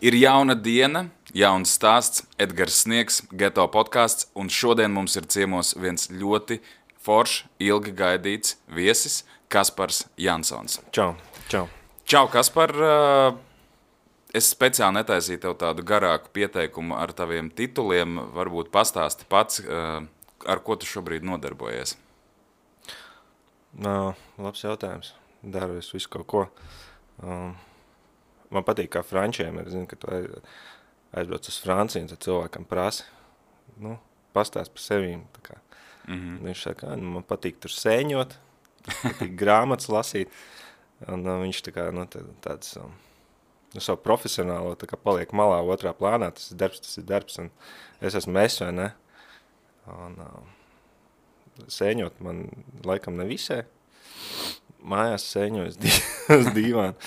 Ir jauna diena, jauns stāsts, Edgars Sniegs, Geto podkāsts, un šodien mums ir ciemos viens ļoti foršs, ilgi gaidīts viesis, Kaspars Jansons. Čau. Čau, Kaspar! Es speciāli netaisīju tev tādu garāku pieteikumu ar taviem tituliem. Varbūt pastāsti pats, ar ko tu šobrīd nodarbojies. Labs jautājums. Daru es visu kaut ko. Man patīk, kā frančiem ir, zinu, ka tu aizbrauc uz Franciju, un tad cilvēkam prasi, pastāst par sevīm. Viņš saka, man patīk tur sēņot, patīk grāmatas lasīt, un viņš tāds savu profesionālo paliek malā otrā plānā, tas ir darbs, un es esmu vai ne? Un sēņot man laikam nevisē, mājās sēņoju uz dīvānu,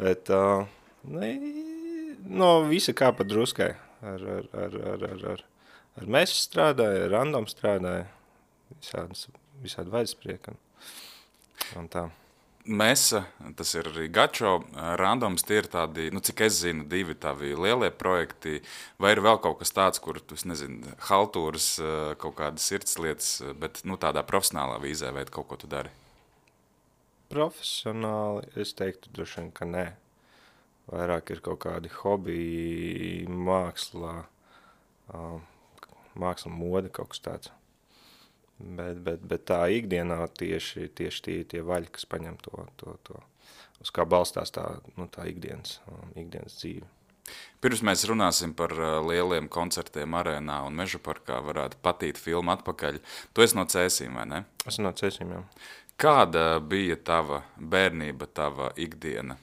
bet no visa kā pa druskai. Ar mesu strādāju, ar random strādāju, visādi vaidsprieki un tā. Mesa, tas ir arī gačo, randoms, tie ir tādi, cik es zinu, divi tavi lielie projekti, vai ir vēl kaut kas tāds, kur tu, haltūras, kaut kādas sirdslietas, bet tādā profesionālā vīzē vai kaut ko tu dari? Profesionāli es teiktu droši vien, ka nē. Vairāk ir kaut kādi hobiji, māksla, mode, kaut kas tāds. Bet tā ikdienā tieši tie vaļi, kas paņem to uz kā balstās tā ikdienas dzīve. Pirms mēs runāsim par lieliem koncertiem arēnā un Meža parkā, varētu patīt filmu atpakaļ. Tu esi no Cēsīm, vai ne? Esmu no Cēsīm, jā. Kāda bija tava bērnība, tava ikdiena?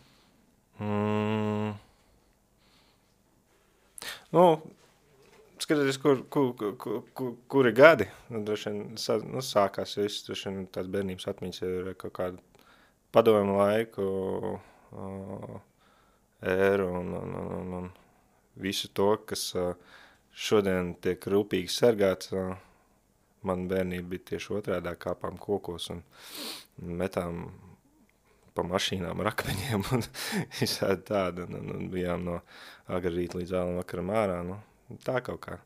Skatoties, kuri gadi, droši vien sākās viss, droši vien tās bērnības atmiņas ir kaut kādu padomu laiku ēru un visu to, kas šodien tiek rūpīgi sargāts. Man bērnība bija tieši otrādā, kāpām kokos un metām pa mašīnām ar akmeņiem un visādi tāda, un bijām no agra rīta līdz vēlam vakaram ārā, tā kaut kā.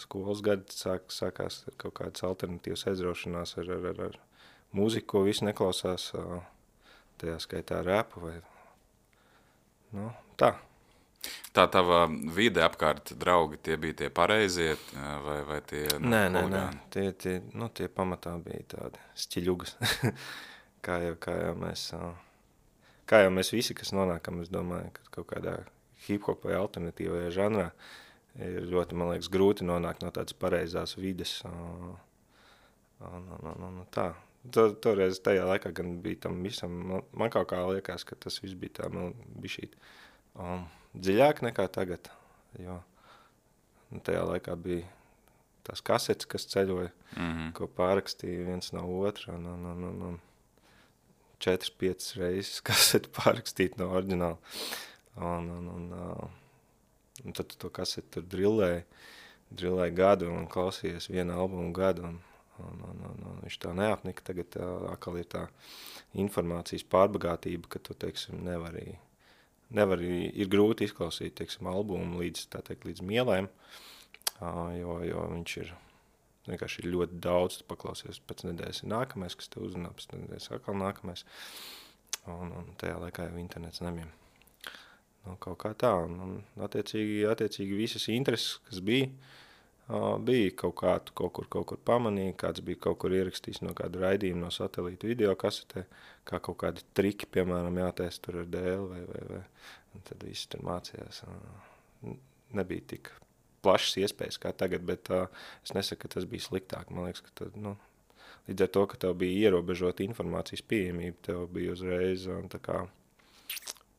Skolas gadi sākās kaut kādas alternatīvas aizraušanās ar mūziku, ko visi neklausās, tajā skaitā repu vai, tā. Tā tava vide apkārt draugi, tie bija tie pareizie vai tie Nē. Tie pamatā bija tādi stiļugas. kā jau mēs visi, kas nonākam, es domāju, ka kaut kādā hip-hop vai alternatīvajā žanrā ir ļoti, man liekas, grūti nonākt no tādas pareizās vides. Tā. Toreiz tajā laikā gan bija tam visam, man kaut kā liekas, ka tas viss bija tā, man bija šī dziļāk nekā tagad, jo tajā laikā bija tās kasetes, kas ceļoja, ko pārrakstīja viens no otra, un 4-5 reizes kaseti pārrakstīt no oriģināla. Un tad to kaseti tur drillēja gadu un klausījies vienu albumu gadu, un viņš tā neapnika. Tagad atkal ir tā informācijas pārbagātība, ka tu, teiksim, ir grūti izklausīt, teiksim, albumu līdz mielēm, jo viņš ir vienkārši ļoti daudz, tu paklausies, pēc nedēļas ir nākamais, kas te uzrunā, pēc nedēļas atkal nākamais, un tajā laikā jau internets nebija. Kaut kā tā, un attiecīgi visas intereses, kas bija kaut kur pamanīja, kāds bija kaut kur ierakstījis no kāda raidījuma no satelīta video kasetē, kā kaut kādi triki, piemēram, jātaisa tur ar dēli, vai, un tad visi tur mācījās. Nebija tik plašas iespējas kā tagad, bet es nesaku, ka tas bija sliktāk. Man liekas, ka līdz ar to, ka tev bija ierobežota informācijas pieejamība, tev bija uzreiz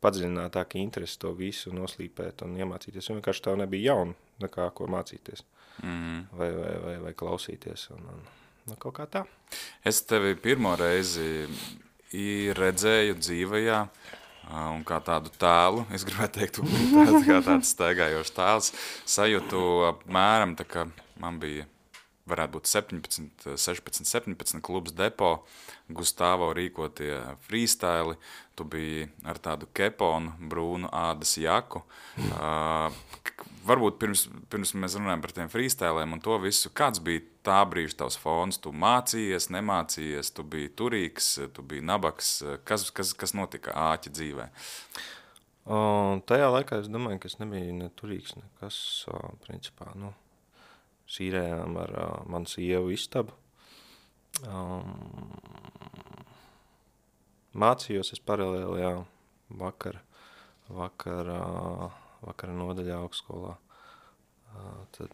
padziļinātāka interese to visu noslīpēt un iemācīties. Un vienkārši tev nebija jauna nekā, ko mācīties. Vai klausīties. Un kaut kā tā. Es tevi pirmo reizi redzēju dzīvajā un kā tādu tēlu, es gribētu teikt, kā tāds staigājošs tēls, sajūtu apmēram, tā kā man bija varētu būt 16, 17 klubs depo, Gustavo rīkotie freestyle, tu biji ar tādu keponu, brūnu ādas jaku. Varbūt pirms mēs runājam par tiem freestylēm un to visu, kāds bija tā brīža tavs fons? Tu mācījies, nemācījies, tu biji turīgs, tu biji nabaks. Kas notika āķa dzīvē? Tajā laikā es domāju, ka es nebiju ne turīgs, nekas, principā, sīrējām ar manu sievu istabu. Mācījos es paralēli, jā, vakara nodaļā augstskolā. Tad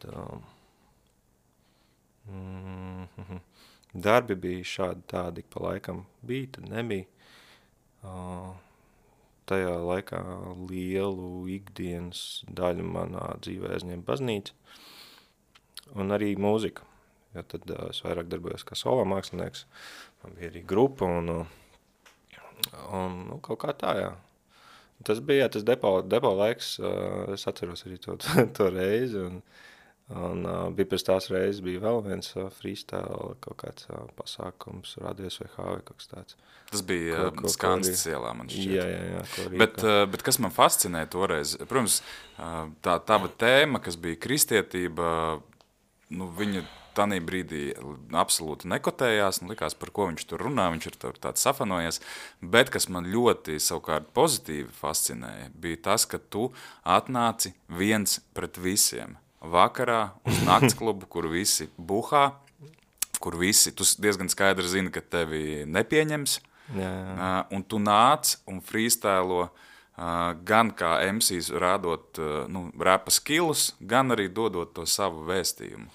darbi bija šādi tādi, pa laikam bija, tad nebija. Tajā laikā lielu ikdienas daļu manā dzīvē aizņem baznīca un arī mūzika. Jo tad es vairāk darbojos kā solo mākslinieks, man bija arī grupa un kaut kā tā, jā. Tas bija, tas depo laiks, es atceros arī to reizi un bija pēc tās reizes bija vēl viens freestyle, kaut kāds pasākums, radies vai kaut kas tāds. Tas bija Skanstas ielā, man šķiet. Jā, bet kas man fascinē toreiz, protams, tā tava tēma, kas bija kristietība, viņa tanī brīdī absolūti nekotējās, likās, par ko viņš tur runā, viņš ir tāds safanojies, bet kas man ļoti savukārt pozitīvi fascinēja, bija tas, ka tu atnāci viens pret visiem. Vakarā uz naktsklubu, kur visi buhā, kur visi, tu diezgan skaidri zini, ka tevi nepieņems, un tu nāc un freestylo gan kā MCs rādot rapa skillus, gan arī dodot to savu vēstījumu.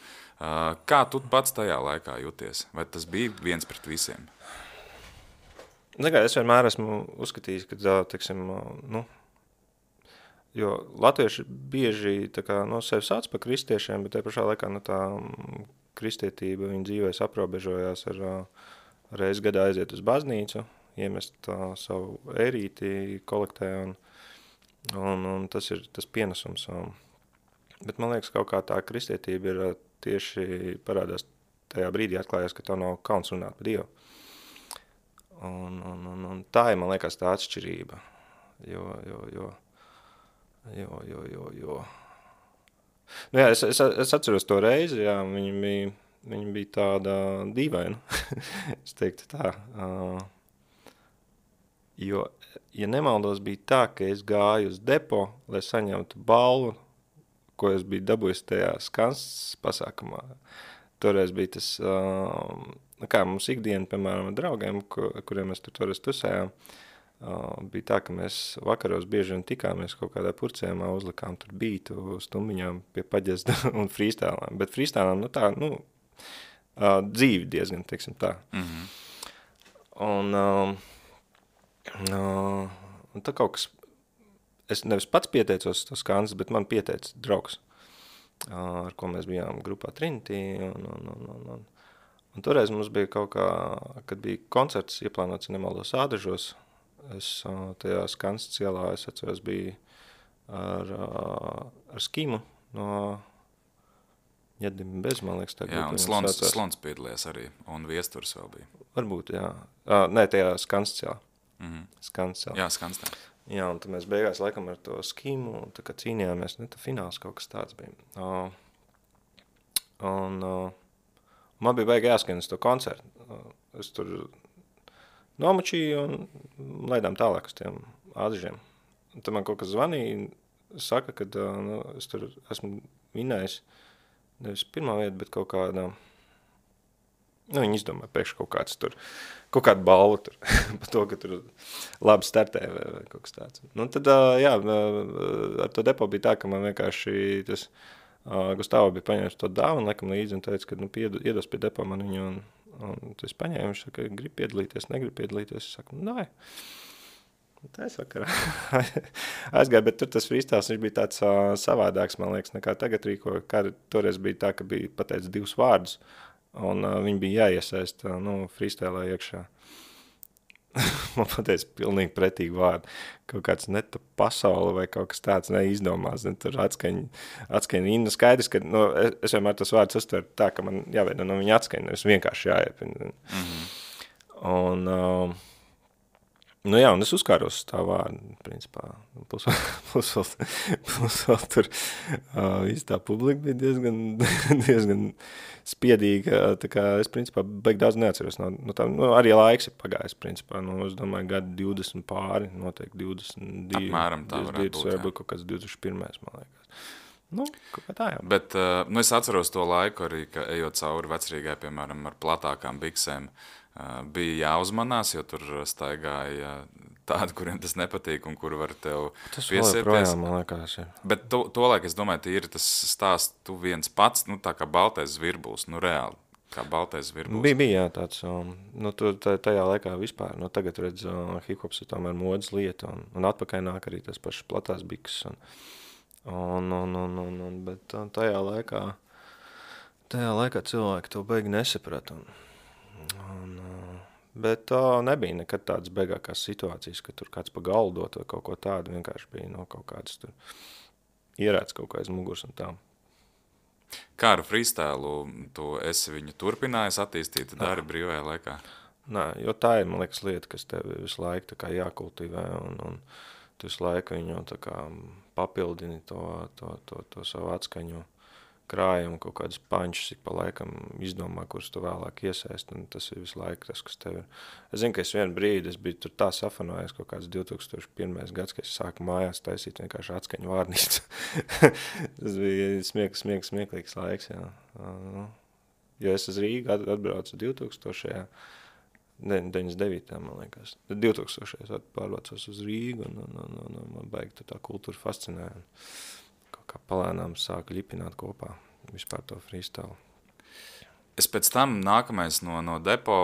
Kā tu pats tajā laikā jūties? Vai tas bija viens pret visiem? Es vienmēr esmu uzskatījis, ka, teiksim, jo latvieši bieži sevi sauc par kristiešiem, bet te pašā laikā tā kristietība viņa dzīvēs aprobežojās ar reiz gadā aiziet uz baznīcu, iemest savu ērīti kolektē un tas ir tas pienesums. Bet man liekas, kaut kā tā kristietība ir tieši parādās tajā brīdī atklājās, ka tev nav kauns runāt par Dievu. Un tā ir, man liekas, tā atšķirība, jo. Es atceros to reizi, jā, viņa bija tāda dīvaina, es teiktu tā, jo, ja nemaldos, bija tā, ka es gāju uz depo, lai saņemtu balvu, ko es biju dabūjis tajā Skanstas pasākumā. Toreiz bija tas, kā mums ikdiena, piemēram, ar draugiem, kuriem mēs toreiz tusējām, bija tā, ka mēs vakaros bieži vien tikāmies kaut kādā purcējumā, uzlikām tur bītu stumbiņām pie paģezda un freestylām. Bet freestylām, dzīvi diezgan, teiksim tā. Mm-hmm. Un tā kaut kas, es nevis pats pieteicos to Skanstas, bet man pieteica draugs, ar ko mēs bijām grupā Trinity. Un toreiz mums bija kaut kā, kad bija koncerts ieplānots, nemaldos Ādažos, es tajā Skanstas ielā, es atceros, biju ar Skimu no Ņedim bez, man liekas. Jā, un Slons piedalījās arī, un Viesturs vēl bija. Varbūt, jā. Nē, tajā Skanstas ielā. Mm-hmm. Skanstas ielā. Jā, Skanstas. Jā, un tad mēs beigās laikam ar to Skimu, un tā kā cīnījāmies, fināls kaut kas tāds bija. Man bija baigi jāskan uz to koncertu. Es tur nomačīju un laidām tālāk uz tiem ādažiem. Un tad man kaut kas zvanīja, saka, ka es tur esmu vinējis nevis pirmā vieta, bet kaut kādā, viņi izdomāja pēkšņi kaut kāds tur, kaut kādu balvu tur, par to, ka tur labi startē vai kaut kas tāds. Tad, jā, ar to depo bija tā, ka man vienkārši tas Gustavo bija paņēmis to dāvanu, laikam līdzi un teica, ka iedos pie depo man viņu un tas paņēma, viņš saka, grib piedalīties, negrib piedalīties, es saku, nē. Tā es vakarā aizgāju, bet tur tas freestyles, viņš bija tāds savādāks, man liekas, nekā tagad rīko, kā toreiz bija tā, ka bija pateicis 2 vārdus, un viņi bija jāiesaist, freestylē iekšā. man pateica pilnīgi pretīgi vārdu. Kaut kāds neta pasaule vai kaut kas tāds neizdomās. Ne, tur atskaņa. Nu, skaidrs, ka es vienmēr tos vārdus uztveru tā, ka man jāveido no viņa atskaņa, nevis vienkārši jāiepina. Un, nu jā, un es uzkāros uz tā vārdu, principā. Plus vēl tur visa tā publika bija diezgan spiedīga. Tā kā es, principā, beig daudz neatceros. Arī laiks ir pagājis, principā. Es domāju, gadu 20 pāri, noteikti 22. Apmēram tā varētu būt, varbūt kaut kāds 21. man liekas. Kaut kā tā jau. Bet es atceros to laiku arī, ka ejot cauri Vecrīgai, piemēram, ar platākām biksēm, bija jāuzmanās, jo tur staigāja tādi, kuriem tas nepatīk un kuri var tev piesieties. Tas projām, man liekas, ir. Bet to laik, es domāju, ir tas stāsts, tu viens pats, tā kā baltais zvirbulis, reāli, kā baltais zvirbulis. Bija, jā, tāds, tajā laikā vispār, tagad redz, hip-hops ir tomēr modas lieta, un atpakaļ nāk arī tas pašas platās biks, bet tajā laikā cilvēki to beigi nesaprata, bet nebija nekad tādas beigākās situācijas, ka tur kāds pa galdot vai kaut ko tādu, vienkārši bija kaut kāds tur ierēts kaut kā aiz muguras un tā. Kā ar freestylu tu esi viņu turpinājis attīstīt, dari brīvajā laikā? Nē, jo tā ir, man liekas, lieta, kas tev visu laiku tā kā jākultivē un tu visu laiku viņu tā kā papildini to savu atskaņu krājumu, kaut kādus pančus, ik pa laikam izdomā, kurus tu vēlāk iesaist, un tas ir visu laiku tas, kas tev ir. Es zinu, ka es vienu brīdi, es biju tur tā safanojis kaut kāds 2001. gads, ka es sāku mājās taisīt vienkārši atskaņu vārnīcu. Tas bija smieklīgs laiks, jā. Jo es uz Rīgu atbraucu 2000. 99. man liekas. 2000. pārvācos uz Rīgu, un man baigi tā kultūra fascinēja. Kaut kā palēnām sāku ļipināt kopā vispār to freestyle. Es pēc tam nākamais no depo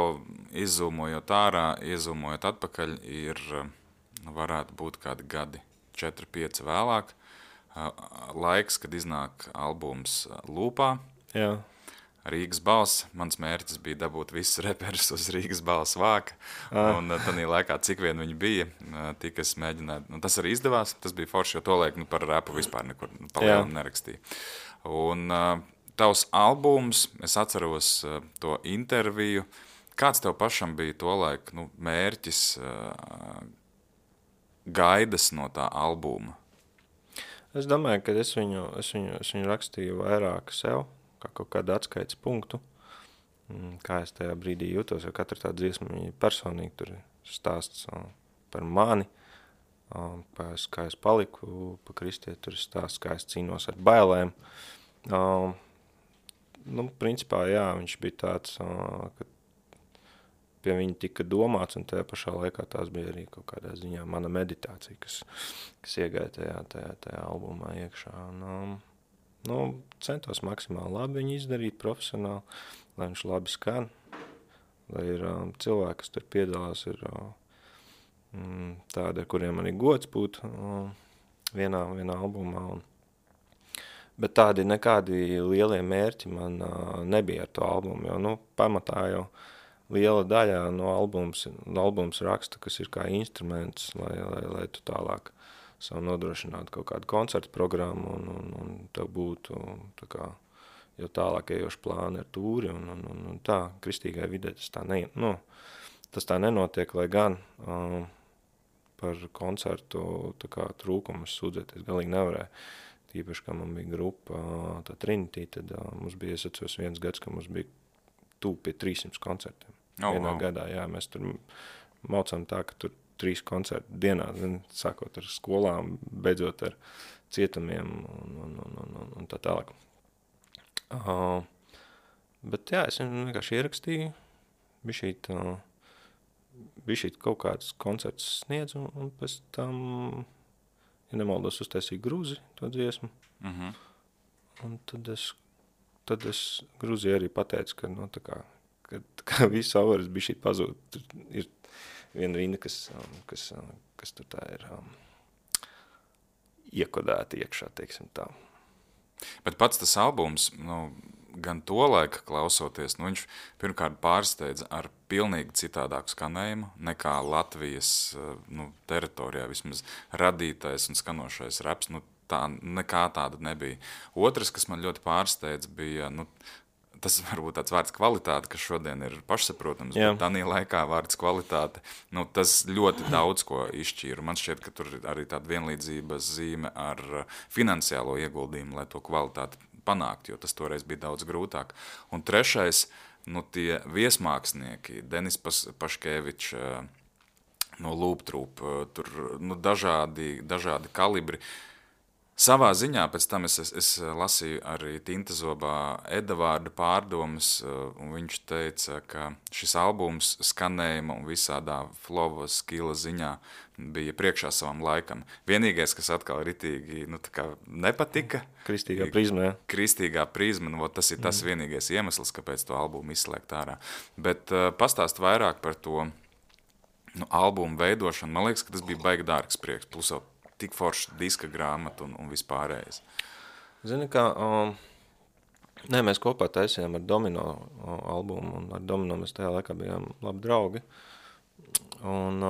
izzūmojot ārā, izzūmojot atpakaļ ir, varētu būt kādi gadi, 4-5 vēlāk, laiks, kad iznāk albums Lūpā. Jā. Rīgas balss. Mans mērķis bija dabūt visus reperus uz Rīgas balss vāka. Un tādā laikā, cik vien viņi bija, tik es mēģināju. Tas arī izdevās. Tas bija forši, jo to laiku par rapu vispār nekur palielam nerakstīju. Un tavs albums, es atceros to interviju. Kāds tev pašam bija to laiku mērķis, gaidas no tā albuma? Es domāju, ka es viņu rakstīju vairāk sev, kā kaut kādu atskaites punktu, kā es tajā brīdī jūtos, jo katra tā dziesma viņa personīgi tur stāsts par mani, kā es paliku pa kristieti, tur stāsts, kā es cīnos ar bailēm. Principā, jā, viņš bija tāds, ka pie viņa tika domāts, un tajā pašā laikā tās bija arī kaut kādā ziņā mana meditācija, kas iegāja tajā albumā iekšā. Centos maksimāli labi viņu izdarīt profesionāli, lai viņš labi skan, lai ir cilvēki, kas tur piedalās, ir tādi, ar kuriem arī gods būt vienā albumā. Bet tādi nekādi lielie mērķi man nebija ar to albumu, jo pamatā jau liela daļa no albums raksta, kas ir kā instruments, lai tu tālāk savu nodrošinātu kaut kādu koncertu programmu un tev būtu tā kā jau tālāk ejoši plāni ar tūri un tā, kristīgai vidē tas tā nenotiek, lai gan par koncertu tā kā trūkumus sūdzēties galīgi nevarēja. Tīpaši, kā man bija grupa, tā Trinity, tad mums bija, es atceros viens gads, ka mums bija tūp pie 300 koncertiem. Vienā gadā, jā, mēs tur maucām tā, ka tur 3 koncertu dienā, sākot ar skolām, beidzot ar cietumiem un tā tālāk. Bet jā, es viņu vienkārši ierakstīju, bišķīt kaut kāds koncerts sniedz, un pēc tam, ja nemaldos, uztaisīju Gruzi to dziesmu. Un tad es Gruzijai arī pateicu, ka, ka visu avaras bišķīt pazūd. Tur ir viena rinda, kas tur tā ir iekodēta iekšā, teiksim tā. Bet pats tas albums, gan to laika klausoties, nu, viņš pirmkārt pārsteidza ar pilnīgi citādāku skanējumu nekā Latvijas teritorijā vismaz radītais un skanošais raps. Nu, tā nekā tāda nebija. Otrs, kas man ļoti pārsteidz, bija, tas varbūt tāds vārds kvalitāte, kas šodien ir pašsaprotams, bet tādā laikā vārds kvalitāte, tas ļoti daudz ko izšķīra. Man šķiet, ka tur ir arī tāda vienlīdzības zīme ar finansiālo ieguldījumu, lai to kvalitāti panākt, jo tas toreiz bija daudz grūtāk. Un trešais, tie viesmākslinieki, Denis Paškevičs no Lūptrūp, tur dažādi kalibri. Savā ziņā pēc tam es lasīju arī Tintazobā Edavārda pārdomas, un viņš teica, ka šis albums skanējuma un visādā flow skilla ziņā bija priekšā savam laikam. Vienīgais, kas atkal ritīgi nepatika. Kristīgā prizma, jā. Kristīgā prizma, tas ir tas vienīgais iemesls, kāpēc to albumu izslēgt ārā. Bet pastāst vairāk par to albumu veidošanu. Man liekas, ka tas bija baigi dārgs prieks, plus vēl tik forša diska grāmata un vispārējais. Zini, kā, mēs kopā taisījām ar Domino albumu, un ar Domino mēs tajā laikā bijām labi draugi. Un,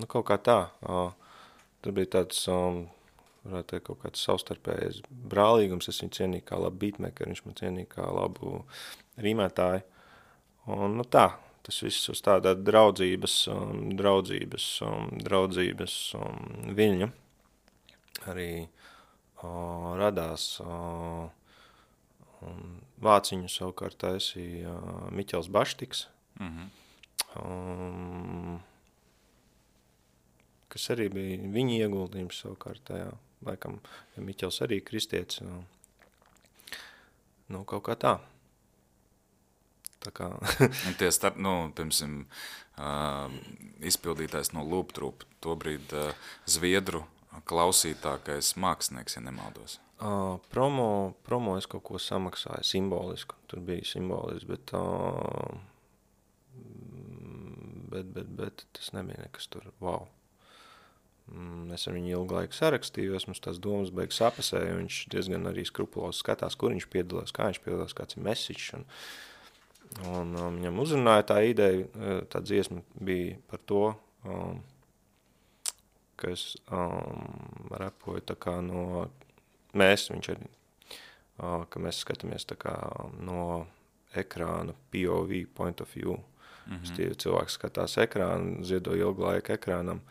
kaut kā tā, tur bija tāds, varētu teikt, kaut kāds savstarpējais brālīgums, es viņu cienīju kā labu beatmakeru, viņš man cienīja kā labu rīmētāju. Un, tā. Tas viss uz tādā draudzības viļņa arī radās. Vāciņu savukārt taisīja Miķels Baštiks, kas arī bija viņa ieguldījums savukārt tajā. Laikam, ja Miķels arī kristietis, kaut kā tā. Un tie piemēram, izpildītājs no Lūptrūp, tobrīd zviedru klausītākais mākslinieks, ja nemaldos. Promo es kaut ko samaksāju, simbolisku, tur bija simbolisks, bet tas nebija nekas tur, wow. Es ar viņu ilgu laiku sarakstījos, mums tās domas beigas sapasēja, viņš diezgan arī skrupulosi skatās, kur viņš piedalās, kā viņš piedalās, kāds ir message, un viņam uzrunāja tā ideja, tā dziesma bija par to, ka es repoju tā kā no, viņš arī, ka mēs skatāmies tā kā no ekrāna POV, point of view. Cilvēks skatās ekrānu, ziedo ilgu laiku ekrānam,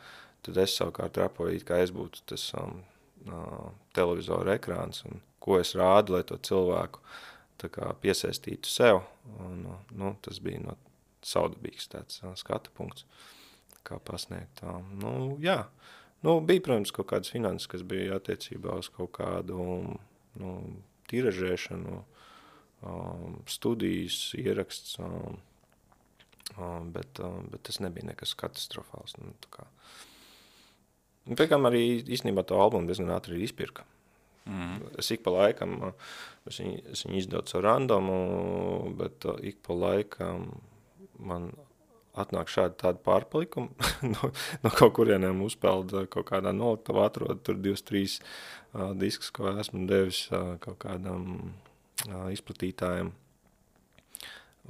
tad es savukārt repoju, kā es būtu tas televizoru ekrāns, un ko es rādu, lai to cilvēku tā kā piesaistītu sev, un tas bija saudabīgs tāds skatu punkts, kā pasniegt. Bija, protams, kaut kādas finanses, kas bija attiecībā uz kaut kādu tiražēšanu, studijas, ieraksts, bet tas nebija nekas katastrofāls. Pēkām arī īstenībā to albumu diezgan ātri izpirka. Es ik pa laikam, es viņu izdodu savu randomu, bet ik pa laikam man atnāk šādi tādi pārpalikumi, no kaut kurieniem uzpelda kaut kādā noliktavā atrod tur 2-3 diskus, ko esmu devis kaut kādam izplatītājiem.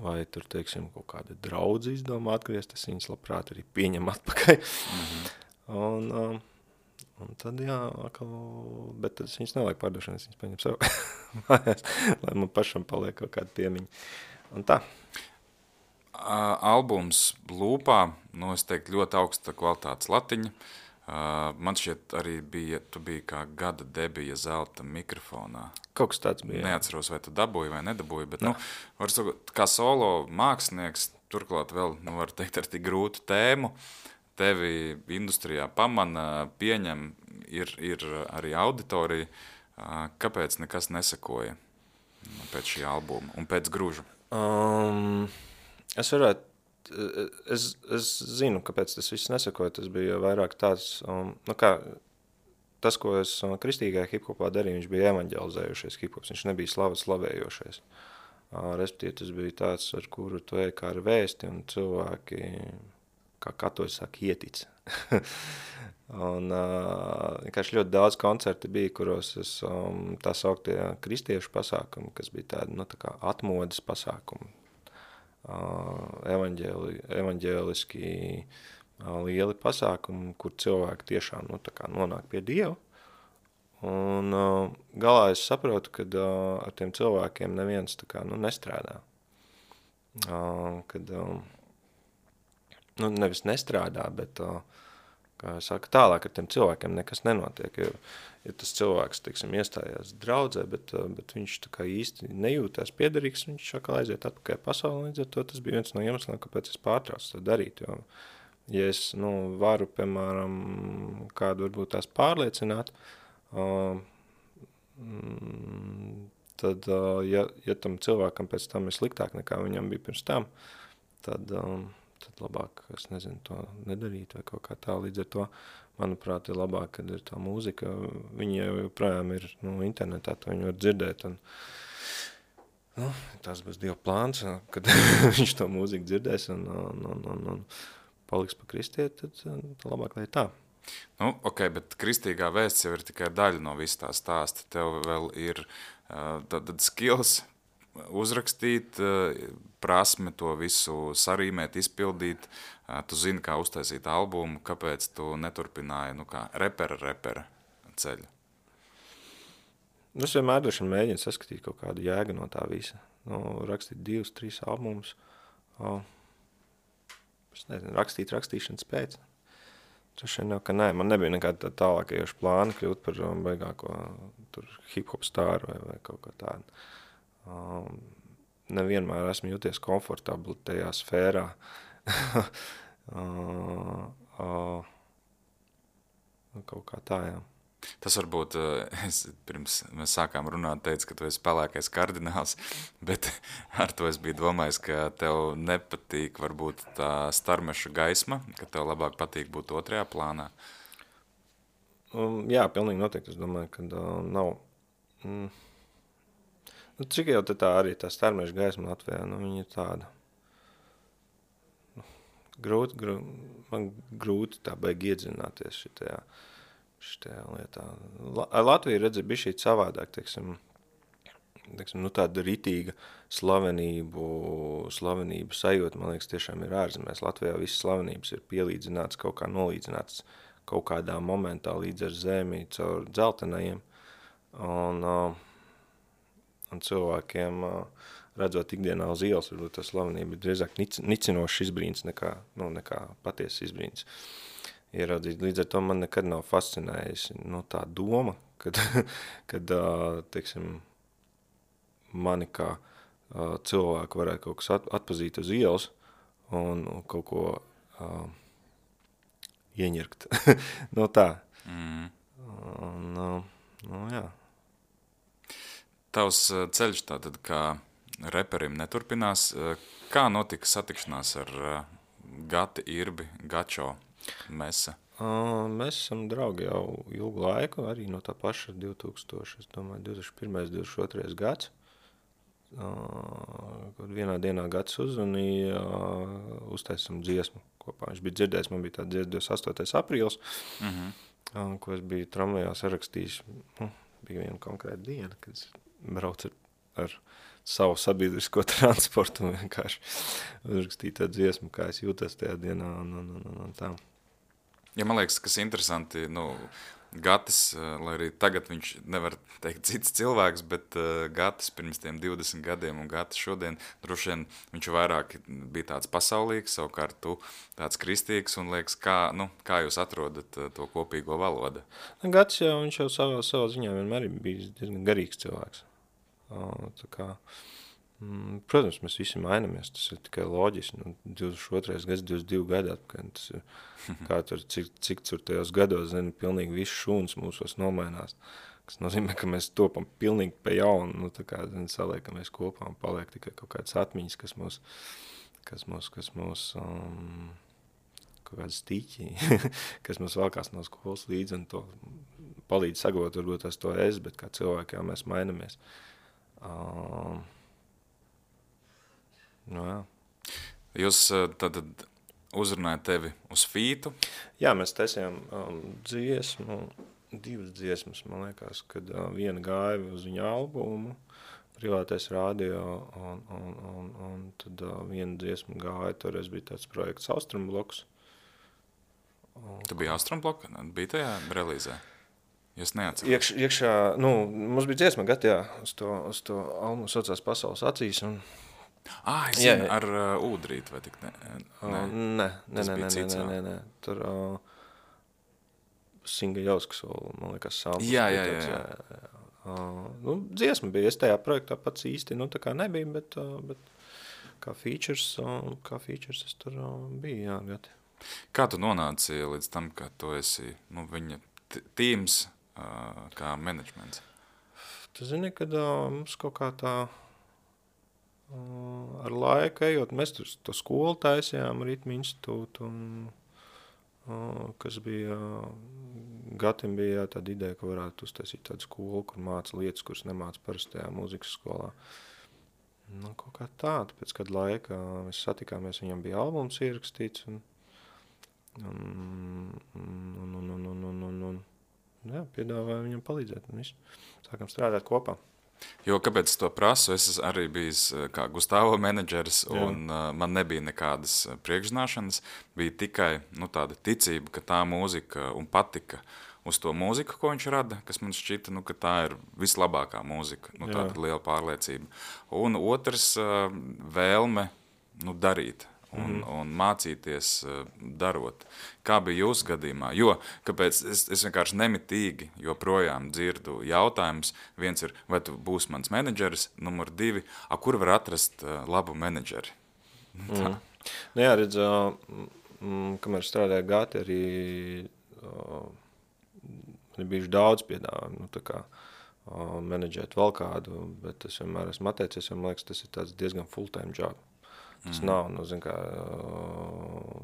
Vai tur, teiksim, kaut kāda draudze izdomā atgriezt, es viņas labprāt arī pieņem atpakaļ. Un tad, bet es viņas nevajag pārdošanu, es viņas paņem sev mājās, lai man pašam paliek kaut kāda piemiņa. Un tā. Albums Lūpā, es teiktu, ļoti augsta kvalitātes latiņa. Man šķiet arī tu biji kā gada debija zelta mikrofonā. Kaut kas tāds bija. Neatceros, vai tu dabūji vai nedabūji, bet, var sakot, kā solo mākslinieks, turklāt vēl, var teikt, ar tik grūtu tēmu, tevi industrijā pamana, pieņem, ir arī auditorija. Kāpēc nekas nesakoja pēc šī albuma un pēc Gruža? Es zinu, kāpēc tas viss nesakoja. Tas bija vairāk tāds, tas, ko es kristīgajā hiphopā darīju, viņš bija evaņģelizējušais hiphops, viņš nebija slavējošais. Respektīvi, tas bija tāds, ar kuru tu ej kā ar vēsti, un cilvēki, kā katoļi saka, ietic. Un vienkārši ļoti daudz koncerti bija, kuros es tā sauktie kristiešu pasākumi, kas bija tādi, tā kā atmodas pasākumi, evaņģēliski lieli pasākumi, kur cilvēki tiešām, tā kā nonāk pie Dieva. Un galā es saprotu, ka ar tiem cilvēkiem neviens tā kā, nestrādā. Kad, nevis nestrādā, bet kā saka, tālāk ar tiem cilvēkiem nekas nenotiek, ja tas cilvēks, teiksim, iestājās draudzē, bet viņš tā kā īsti nejūtās piederīgs, viņš atkal aiziet atpakaļ pasaulē, līdz ar to tas bija viens no iemesliem, kāpēc es pārtraucu to darīt, jo, ja es, varu, piemēram, kādu varbūt tās pārliecināt, tad, ja tam cilvēkam pēc tam ir sliktāk nekā viņam bija pirms tam, tad labāk, es nezinu, to nedarīt vai kaut kā tā. Līdz ar to, manuprāt, ir labāk, kad ir tā mūzika. Viņi jau joprojām ir internetā, to viņi var dzirdēt. Un, tas būs Dieva plāns, kad viņš to mūziku dzirdēs un paliks pa kristieti, tad labāk, lai tā. Ok, bet kristīgā vēsts jau ir tikai daļa no visu tā stāsta. Tev vēl ir tad skills uzrakstīt, prasme to visu sarīmēt, izpildīt. Tu zini, kā uztaisīt albumu, kāpēc tu neturpināji, kā repera ceļu? Es vienmēr droši mēģinu saskatīt kaut kādu jēgu no tā visa. Rakstīt 2-3 albumus. Es nezinu, rakstīšanas pēc. Droši vien jau, ka nē, man nebija nekāda tālākajoša plāna kļūt par baigāko hip-hop stāru vai kaut ko tādu. Nevienmēr esmu jūties komfortabli tajā sfērā. Kaut kā tā, jā. Tas varbūt, pirms mēs sākām runāt, teicu, ka tu esi pelēkais kardināls, bet ar to es biju domājis, ka tev nepatīk varbūt tā starmeša gaisma, ka tev labāk patīk būt otrajā plānā. Jā, pilnīgi noteikti. Es domāju, ka nav... cik jau tā arī tā starmeša gaisma Latvijā, viņa ir tāda... Man grūti tā baigi iedzināties šitajā lietā. Latvija redzi bija šī savādāk, teiksim, tāda ritīga slavenību sajūta, man liekas, tiešām ir ārzemēs. Latvijā visas slavenības ir pielīdzināts, kaut kā nolīdzināts kaut kādā momentā līdz ar zemi caur dzeltenajiem. Un cilvēkiem, redzot ikdienā uz ielas, varbūt tā slavenība ir drīzāk nicinošs izbrīns nekā patiesas izbrīns. Ieraudzīt. Līdz ar to man nekad nav fascinējis tā doma, kad teiksim, mani kā cilvēku varētu kaut kas atpazīt uz ielas un kaut ko ieņirkt. Tā. Jā. Tavs ceļš tātad kā reperim neturpinās. Kā notika satikšanās ar Gati, Irbi, Gačo? Mesa? Mēs esam draugi jau ilgu laiku, arī no tā paša 2001. 2022. gads. Kad vienā dienā Gats uzvanīja, uztaisam dziesmu kopā. Viņš bija dzirdējis, man bija tā dziesma 28. aprīlis, ko es biju tramvajā sarakstījis. Bija viena konkrēta diena, kad es braucu ar savu sabiedrisko transportu un vienkārši uzrakstīju tā dziesmu, kā es jūtos tajā dienā un tā. Ja man liekas, kas interesanti, Gatis, lai arī tagad viņš nevar teikt cits cilvēks, bet Gatis pirms tiem 20 gadiem un Gatis šodien, droši vien viņš vairāk bija tāds pasaulīgs, savukārt tu tāds kristīgs un liekas, kā jūs atrodat to kopīgo valodu? Gatis jau, viņš jau savā ziņā vienmēr bija diezgan garīgs cilvēks. Tā kā, protams, mēs visi mainamies, tas ir tikai loģiski. 22. gads, 22 gadi atpakaļ, tas ir, kā tur, cik tur tajos gados, pilnīgi viss šūns mūsos nomainās. Kas nozīmē, ka mēs topam pilnīgi pa jaunu, tā kā, saliekamies kopā un paliek tikai kaut kādas atmiņas, kas mūs kaut kādas stiķi, kas mums valkās no skolas līdzi un to palīdz saglabāt, varbūt tas to es, bet kā cilvēki jau mēs mainamies. Jā. Jūs tad uzrunāja tevi uz fītu. Jā, mēs taisījām dziesmu, 2 dziesmas, man liekas, kad viena gāja uz viņa albumu, Privātais radio, un tad viena dziesma gāja, toreiz bija tāds projekts Austrumbloks. Tu biji Austrumbloka? Bija tajā relīzē? Es neatceros. Iekšā, mums bija dziesma gatā, uz to albumu saucās Pasaules acīs. Es zinu, ar ūdrīt, vai tik ne? Nē. Tur Singa Jauskas vēl, man liekas, samples. Jā. Dziesma bija, es tajā projektā pats īsti, tā kā nebija, bet kā features es tur biju, jā, gati. Kā tu nonāci līdz tam, ka tu esi viņa tīms kā menedžments? Tu zini, kad mums kaut kā tā ar laiku ejot, mēs tur to skolu taisījām, Ritmu institūtu, kas bija, Gatim bija tāda ideja, ka varētu uztaisīt tādu skolu, kur māca lietas, kuras nemāca parastajā mūzikas skolā. Kaut kā tāda, pēc kāda laika mēs satikāmies, viņam bija albums ierakstīts, piedāvāju viņam palīdzēt un visu. Sākam strādāt kopā. Jo, kāpēc es to prasu, es arī biju kā Gustavo menedžeris un man nebija nekādas priekšzināšanas, bija tikai tāda ticība, ka tā mūzika un patika uz to mūziku, ko viņš rada, kas man šķita, ka tā ir vislabākā mūzika, tāda liela pārliecība. Un otrs vēlme darīt. Un mācīties darot. Kā bija jūsu gadījumā? Jo, kāpēc es vienkārši nemitīgi joprojām dzirdu jautājumus. Viens ir, vai tu būsi mans menedžeris, numur 2, kur var atrast labu menedžeri? Jā, redz, kamēr strādāja Gati, arī bijuši daudz piedāvājumu, menedžēt vēl kādu, bet es vienmēr esmu atteicies, man liekas, tas ir tāds diezgan full-time job. Tas nav,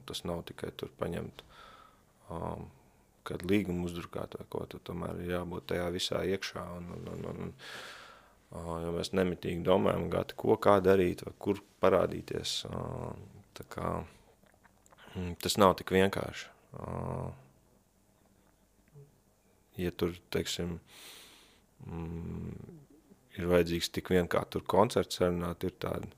tas nav tikai tur paņemt kādu līgumu uzdrukāt vai ko, tad tomēr ir jābūt tajā visā iekšā. Jo mēs nemitīgi domājam, Gati, kā darīt vai kur parādīties. Tas nav tik vienkārši. Ja tur, teiksim, ir vajadzīgs tik vien kā tur koncerts sarunāt, ir tādi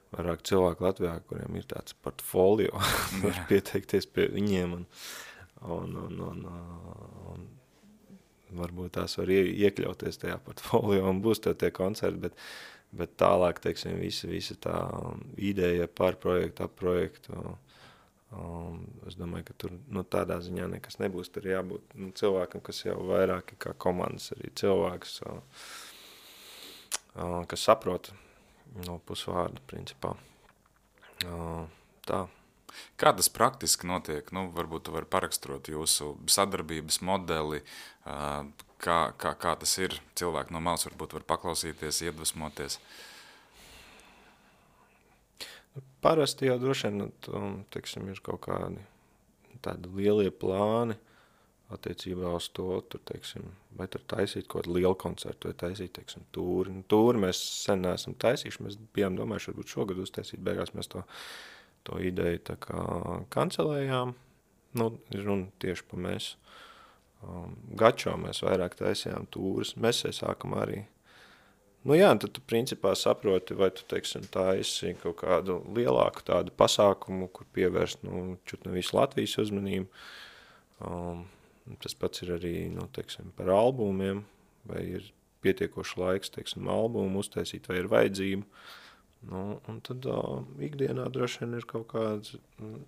vairāk cilvēku Latvijā, kuriem ir tāds portfolio, var pieteikties pie viņiem un varbūt tās var iekļauties tajā portfolio un būs tie koncerti, bet tālāk, teiksim, visa tā ideja par projektu, ap projektu, es domāju, ka tur tādā ziņā nekas nebūs, tur jābūt cilvēkam, kas jau vairāk kā komandas arī cilvēks, kas saprot no pusvārda, principā. Tā. Kā tas praktiski notiek? Varbūt tu vari paraksturot jūsu sadarbības modeli, kā tas ir. Cilvēki no malas varbūt var paklausīties, iedvesmoties. Parasti jau droši vien, teiksim, ir kaut kādi tādi lielie plāni attiecībā uz to, tur, teiksim, vai tur taisīt kaut kādu lielu koncertu, vai taisīt, teiksim, tūri. Tūri mēs sen neesam taisījuši, mēs bijām domājuši, varbūt šogad uztaisīt, beigās mēs to ideju tā kā kancelējām, runa tieši pa mēs. Gačo mēs vairāk taisījām tūris, mēs sākam arī. Tad tu principā saproti, vai tu, teiksim, taisi kaut kādu lielāku tādu pasākumu, kur pievērst, čut ne visu Latvijas uzmanību. Tas pats ir arī, teiksim, par albumiem, vai ir pietiekoši laiks, teiksim, albumu uztaisīt, vai ir vajadzība. Un tad ikdienā droši vien ir kaut kāds,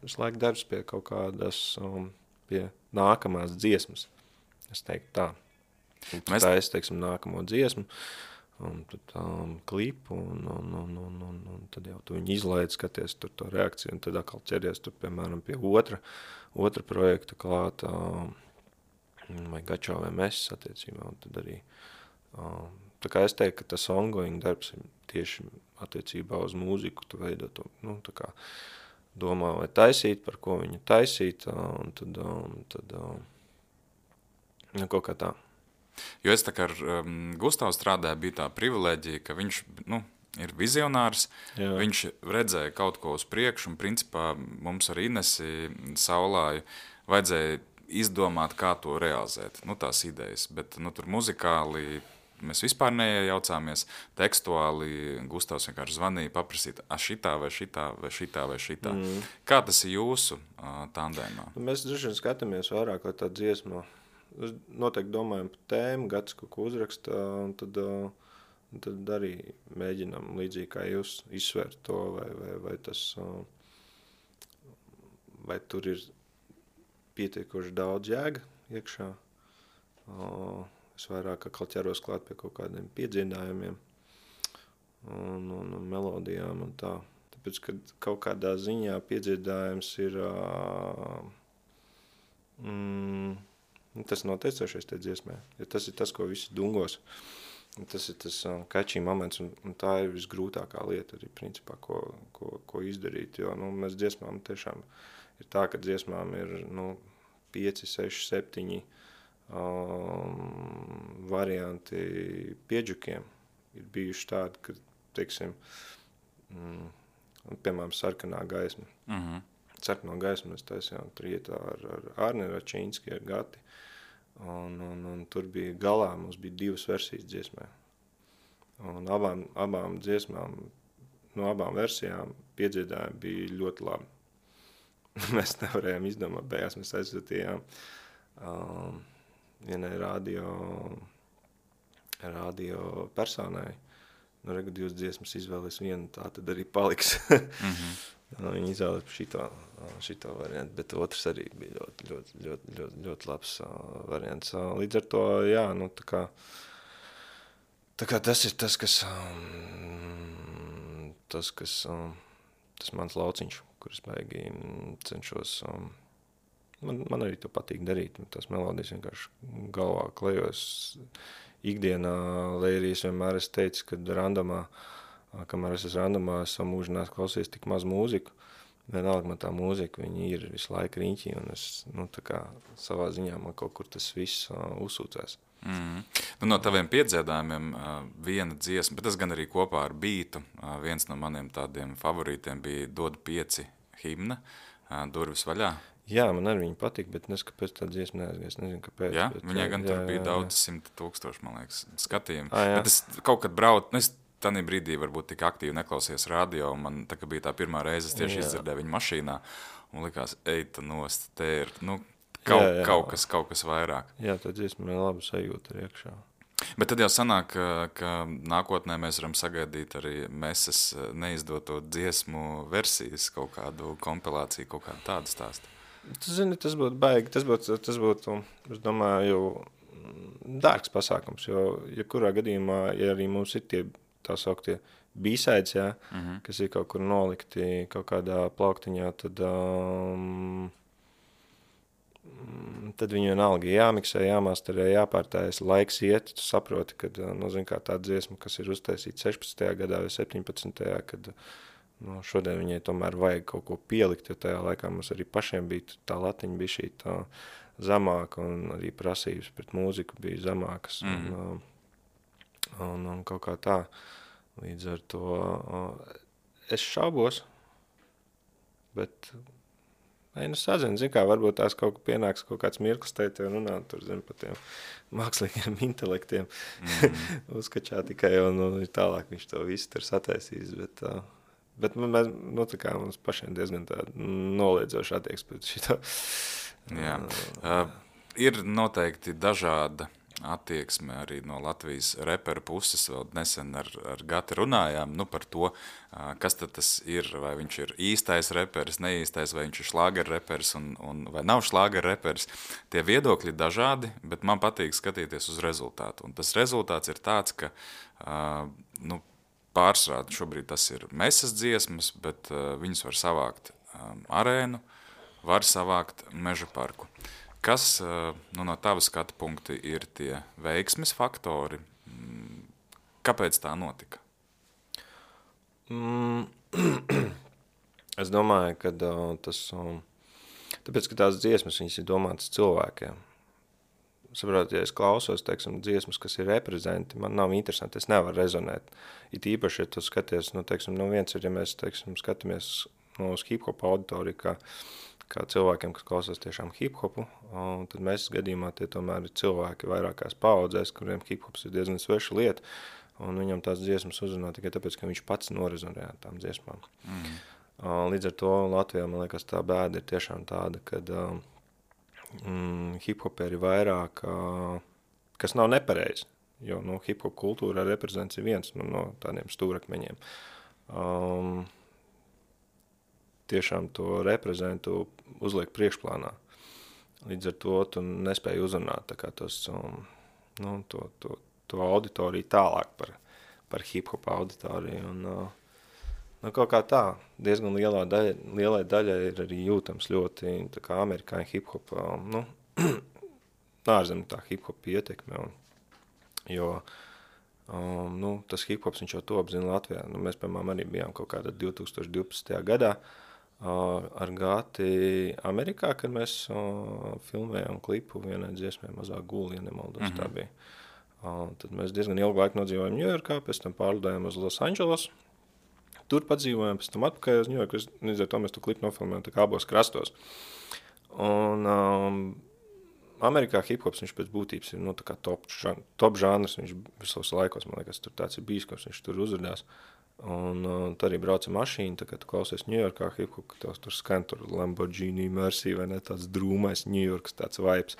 visu laiku darbs pie kaut kādas, pie nākamās dziesmas. Es teiktu tā. Tā es, teiksim, nākamo dziesmu, un tad klipu, un tad jau tu viņu izlaid, skaties tur to reakciju, un tad atkal ķeries tur, piemēram, pie otra projekta klāt, vai Gačo vai mēs attiecībā, un tad arī, tā kā es teiktu, ka tas ongoing darbs ir tieši attiecībā uz mūziku, tu veido to, tā kā domā, vai taisīt, par ko viņu taisīt, un tad kaut kā tā. Jo es tā kā ar Gustavu strādāju, bija tā privileģija, ka viņš, ir vizionārs. Jā. Viņš redzēja kaut ko uz priekšu, un principā mums ar Inesi Saulāju vajadzēja izdomāt, kā to realizēt, tās idejas. Bet tur muzikāli mēs vispār neiejaucāmies, tekstuāli Gustavs vienkārši zvanīja, paprasīt, šitā vai šitā vai šitā vai šitā. Kā tas ir jūsu tandēmā? Mēs droši vien skatāmies vairāk, lai tā dziesma. Noteikti domājam par tēmu, Gatis kaut ko uzraksta, un tad arī mēģinām līdzīgi kā jūs izsvērt to, vai tas, vai tur ir pietiekoši daudz jēga iekšā. Es vairāk atkal ķeros klāt pie kaut kādiem piedziedājumiem un melodijām un tā. Tāpēc, kad kaut kādā ziņā piedziedājums ir tas noteicošais tie dziesmē. Ja tas ir tas, ko visi dungos. Tas ir tas catchy moments, un tā ir visgrūtākā lieta arī, principā, ko izdarīt. Jo mēs dziesmām tiešām ir tā, ka dziesmām ir 5, 6, 7 varianti piedžukiem. Ir bijuši tādi, ka, teiksim, piemēram, sarkanā gaisma. Sarkanā gaisma mēs taisījām trietā ar Arni Račīnski, ar Gati. Un tur bija galā, mums bija 2 versijas dziesmē. Un abām dziesmām, no abām versijām piedziedājumi bija ļoti labi. Mēs nevarējām izdomāt, beigās mēs aizsūtījām vienai radio personai. Regu 2 dziesmas izvēlēs vienu, tā tad arī paliks. Viņi izvēlēs šito variantu, bet otrs arī bija ļoti labs variants. Līdz ar to, jā, tā kā tas ir tas mans lauciņš, kurus baigi cenšos. Man arī to patīk darīt. Tas melodijas vienkārši galvā klejos ikdienā, lai arī es vienmēr esmu teicis, kad kamēr es esmu randomā, esmu mūžinās klausies tik maz mūziku. Vienalga man tā mūzika, viņi ir visu laiku riņķī, un es, tā kā savā ziņā man kaut kur tas viss uzsūcēs. No taviem piedziedājumiem viena dziesma, bet tas gan arī kopā ar bītu. Viens no maniem tādiem favorītiem bija Dod 5 himna, Durvis vaļā. Jā, man arī viņa patīk, bet kāpēc tā dziesma neaizgājas, nezinu kāpēc. Jā, viņai gan tur bija daudz 100,000, man liekas, skatījumu. Bet es kaut kad braucu, es tādā brīdī varbūt tik aktīvi neklausījos radio, un man tā kā bija tā pirmā reize, es tieši izdzirdēju viņu mašīnā, un likās, eita nost, te ir, kaut kas vairāk. Jā, tā dziesma ir laba sajūta arī iekšā. Bet tad jau sanāk, ka nākotnē mēs varam sagaidīt arī Meses neizdoto dziesmu versijas, kaut kādu kompilāciju, kaut kādu tādu stāstu. Tu zini, tas būtu baigi, tas būtu, es domāju, dārgs pasākums, jo kurā gadījumā, ja arī mums ir tie tā sauktie B-sides, jā, kas ir kaut kur nolikti kaut kādā plauktiņā, tad viņi vienalga jāmiksē, jāmasterē, jāpārtājas, laiks iet, tu saproti, kad, zin kā tā dziesma, kas ir uztaisīta 16. gadā vai 17. kad šodien viņai tomēr vajag kaut ko pielikt, jo tajā laikā mums arī pašiem bija tā latiņa bija šī tā zemāka un arī prasības pret mūziku bija zemākas un kaut kā tā. Līdz ar to es šaubos, bet sazinu, zin kā, varbūt tās kaut kā pienāks kaut kāds mirklis teikt, runāt tur, zin, par tiem mākslīgiem intelektiem uzskačā tikai un tālāk viņš to visu tur sataisīs, bet mēs, tā kā mums pašiem diezgan tā noliedzoši attieksme pret šito. Jā. Ir noteikti dažāda attieksme arī no Latvijas reperu puses. Vēl nesen ar Gati runājām par to, kas tad tas ir, vai viņš ir īstais reperis, neīstais, vai viņš ir šlāger reperis un vai nav šlāger reperis. Tie viedokļi ir dažādi, bet man patīk skatīties uz rezultātu. Un tas rezultāts ir tāds, ka pārsvarā šobrīd tas ir Meses dziesmas, bet viņus var savākt arēnu, var savākt Meža parku. Kas no tava skatu punkti ir tie veiksmes faktori? Kāpēc tā notika? Es domāju, ka tāpēc, ka tās dziesmas viņas ir domātas cilvēkiem. saprot, ja es klausos, teiksim, dziesmas, kas ir reprezenti, man nav interesanti, es nevaru rezonēt. It īpaši, ja tu skaties, nu, teiksim, nu viens ir, ja mēs, teiksim, skatāmies uz hip-hop auditoriju, kā cilvēkiem, kas klausās tiešām hip-hopu, un tad mēs gadījumā tie tomēr ir cilvēki vairākās paudzēs, kuriem hip-hops ir diezgan sveša lieta, un viņam tās dziesmas uzrunā tikai tāpēc, ka viņš pats norezonē ar tām dziesmām. Līdz ar to Latvijā, man liekas, tā bēda ir tiešām tāda, kad hip-hoperi vairāk, kas nav nepareizi, jo hip-hop kultūra reprezents ir viens no tādiem stūrakmeņiem. Tiešām to reprezentu uzliek priekšplānā. Līdz ar to tu nespēji uzrunāt tā kā tos, to auditoriju tālāk par hip-hop auditoriju. Un, kaut kā tā, diezgan lielai daļai ir arī jūtams ļoti tā kā amerikāņu hip-hop, ārzemju tā hip-hop ietekme. Jo tas hip-hops viņš jau to apzina Latvijā. Mēs, piemēram, arī bijām kaut kādā 2012. gadā ar Gati Amerikā, kad mēs filmējām klipu vienai dziesmai Mazā guli, ja nemaldos, tā bija. Tad mēs diezgan ilgu laiku nodzīvojam Ņujorkā, pēc tam pārlidojām uz Los Angeles. Tur padzīvojām, pēc tam atpakaļ uz Ņujorku, līdz ar to mēs to klipu nofilmējām tā kā abos krastos. Un Amerikā hip-hops viņš pēc būtības ir tā kā top žanrs, viņš visos laikos, man liekas, tur tāds ir bijis, ka viņš tur uzrādās. Un tu arī brauc ar mašīnu, tā kā tu klausies Ņujorkā hip-hop, ka tur skan tur Lamborghini Mercy vai ne, tāds drūmais Ņujorkas tāds vibes.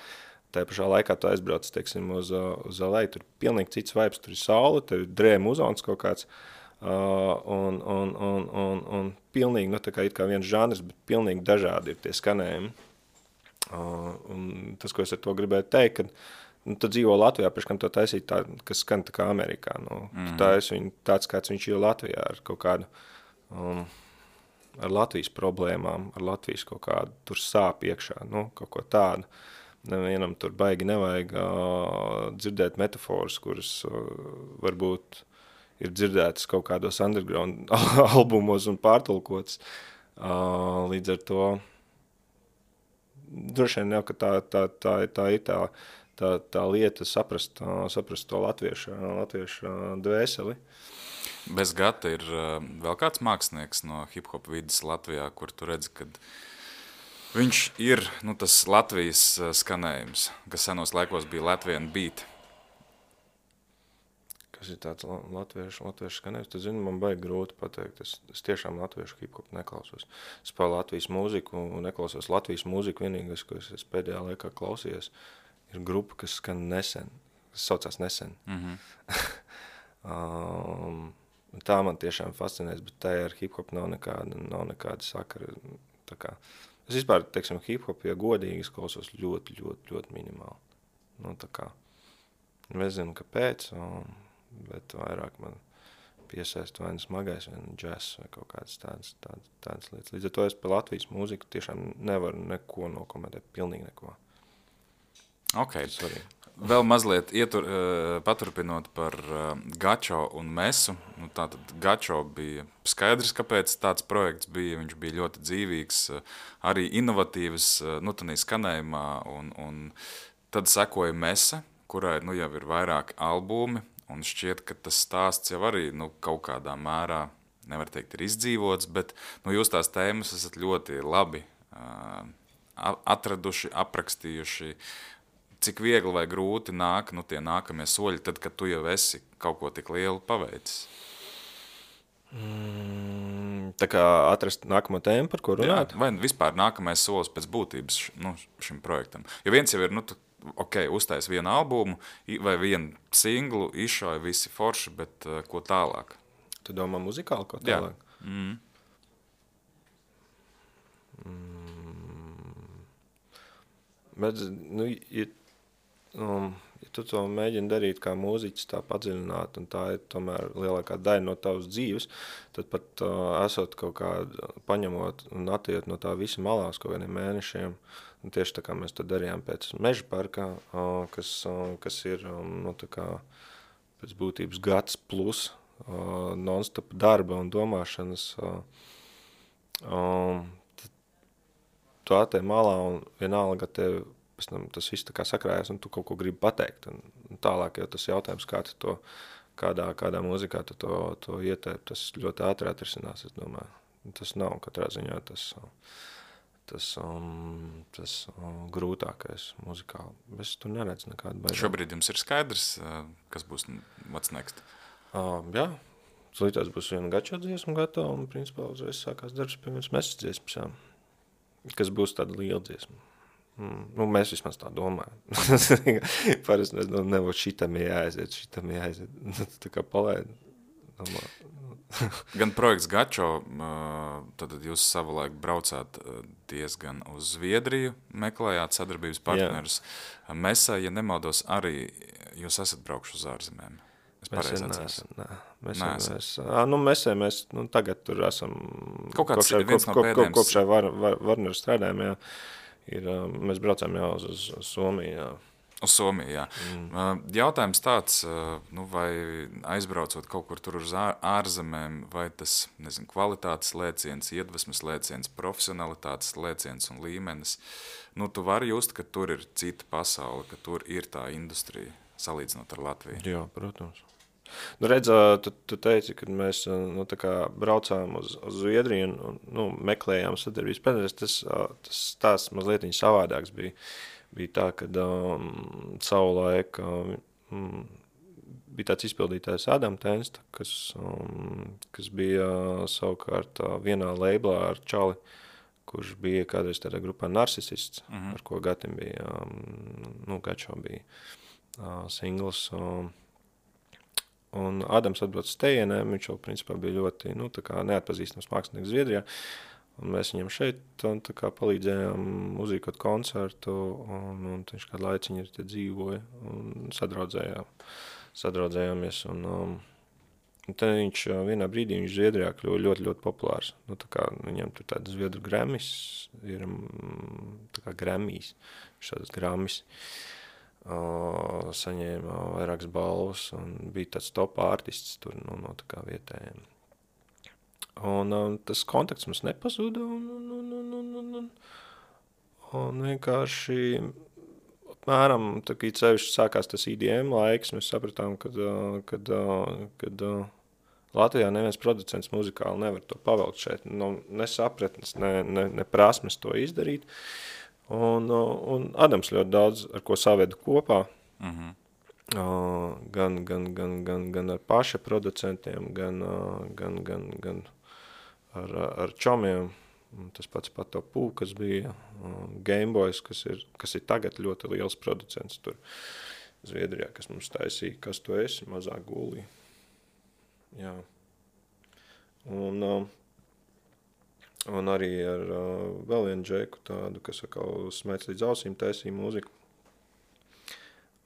Tā pašā laikā tu aizbrauc, teiksim, uz LA, tur pilnīgi cits vibes, tur ir saule, tev ir drēma uzons kaut kāds, un pilnīgi, tā kā it kā viens žanrs, bet pilnīgi dažādi ir tie skanējumi. Un tas, ko es ar to gribēju teikt, kad tu dzīvo Latvijā, priekš kam to taisīt tā, kas skan tā kā Amerikā. Tu taisi viņu tāds, kāds viņš ir Latvijā, ar kaut kādu, ar Latvijas problēmām, ar Latvijas kaut kādu tur sāp iekšā, kaut ko tādu. Nevienam tur baigi nevajag dzirdēt metaforas, kuras varbūt ir dzirdētas kaut kādos underground albumos un pārtulkotas. Līdz ar to droši vien jau, ka tā ir tā lieta saprast to latviešu dvēseli. Bez Gata ir vēl kāds mākslinieks no hip-hop vidas Latvijā, kur tu redzi, kad viņš ir tas Latvijas skanējums, kas senos laikos bija Latvian beat. Kas ir tāds latviešu skanējums? Tad, man baigi grūti pateikt. Es tiešām latviešu hip-hop neklausos. Es spēju Latvijas mūziku un neklausos Latvijas mūziku. Vienīgais, ko es pēdējā laikā klausījies, ir grupa, kas skan Nesen. Kas saucās Nesen. Tā man tiešām fascinēs, bet tā ar hip-hop nav nekāda sakara. Tā kā, es vispār, teiksim, hip-hop, ja godīgi, es klausos ļoti, ļoti, ļoti minimāli. Tā kā, es zinu, kāpēc, bet vairāk man piesaist vai smagais, vai džess, vai kaut kādas tādas lietas. Līdz ar to es par Latvijas mūziku tiešām nevaru neko nokomentēt, pilnīgi neko. Ok. Vēl mazliet paturpinot par Gačo un Mesu. Tātad Gačo bija skaidrs, kāpēc tāds projekts bija. Viņš bija ļoti dzīvīgs, arī inovatīvs, tādā skanējumā. Un tad sekoja Mesa, kurai jau ir vairāki albumi. Un šķiet, ka tas stāsts jau arī kaut kādā mērā, nevar teikt, ir izdzīvots, bet jūs tās tēmas esat ļoti labi atraduši, aprakstījuši. Cik viegli vai grūti nāk tie nākamie soļi, tad, kad tu jau esi kaut ko tik lielu paveicis? Tā kā atrast nākamo tēmu, par ko runāt? Jā, vai vispār nākamais solis pēc būtības šim projektam? Jo viens jau ir, uztais vienu albumu vai vienu singlu, izšauja visi forši, bet ko tālāk? Tu domā muzikāli, ko tālāk? Jā. Bet, ja tu to mēģini darīt kā mūziķis, tā padziļināt, un tā ir tomēr lielākā daļa no tavas dzīves, tad pat esot kaut kā paņemot un attiet no tā visa malās kaut kādiem mēnešiem, un tieši tā kā mēs to darījām pēc Meža parkā, kas ir tā kā pēc būtības gads plus non-stop darba un domāšanas, tu attiet malā un vienalga tev pēc tam tas viss tā kā sakrājas, un tu kaut ko gribi pateikt. Un tālāk jau tas jautājums, kā tu to, kādā mūzikā tu to ietēp, tas ļoti ātri atrisinās, es domāju. Tas nav katrā ziņā tas grūtākais muzikāli. Es tur neredzu nekādu baidību. Šobrīd jums ir skaidrs, kas būs what's next? Jā, slītās būs viena gačo dziesma gatava, un principā uzreiz sākās darbs pie vienas mesas dziesmas, jā. Kas būs tāda liela dziesma. Nu, mēs vismaz tā domājam. Parasti mēs nebūtu šitam jāaiziet. Tā kā palaid. Gan projekts Gačo, tad jūs savulaik braucāt diezgan uz Zviedriju, meklējāt sadarbības partnerus. Mesā, ja nemaldos, arī jūs esat braukuši uz ārzemēm. Mēs tagad tur esam kopš Warner strādājam, jā. Mēs braucām jau uz Somiju, jā. Uz Somiju, jā. Jautājums tāds, vai aizbraucot kaut kur tur uz ārzemēm, vai tas, nezinu, kvalitātes lēciens, iedvesmas lēciens, profesionalitātes lēciens un līmenis, tu vari just, ka tur ir cita pasaule, ka tur ir tā industrija, salīdzinot ar Latviju. Jā, protams. Redz, tu teici, kad mēs tā kā braucām uz Zviedriju un meklējām sadarbības partnerus, tas tās mazliet savādāks bija. Bija tā, kad savulaik bija tāds izpildītājs Adam Tensta, kas bija savukārt vienā labelā ar Čali, kurš bija kādreiz tādā grupā Narcisists, ar ko Gatim bija, Gačo bija singls. Un Adams atbrauc uz tejienēm, viņš jau principā bija ļoti tā kā neatpazīstams mākslinieks Zviedrijā. Un mēs viņam šeit tā kā palīdzējām uzrīkot koncertu, un viņš kādu laiciņu te dzīvoja un sadraudzējāmies. Un tad viņš vienā brīdī viņš Zviedrijā kļuva ļoti, ļoti populārs. Tā kā viņam tur tāda Zviedru Grammys ir, tā kā Grammys, šādas Grammys. Saņēma vairākas balvas un bija tāds top artists tur no tā kā vietējiem. Un tas kontakts mums nepazuda un vienkārši apmēram, tā kā cevišķi sākās tas IDM laiks, mēs sapratām, kad Latvijā neviens producents muzikāli nevar to pavelkt šeit, ne sapratnes, ne prasmes to izdarīt. Un Adams ļoti daudz ar ko savedu kopā, gan ar paša producentiem, gan ar čomiem, tas pats Pato Pū, kas bija Gameboys, kas ir tagad ļoti liels producents tur Zviedrijā, kas mums taisīja, kas tu esi, mazā gulī. Jā. Un arī ar vēl vienu džeku tādu, kas atkal smēc līdz ausīm taisīja mūziku.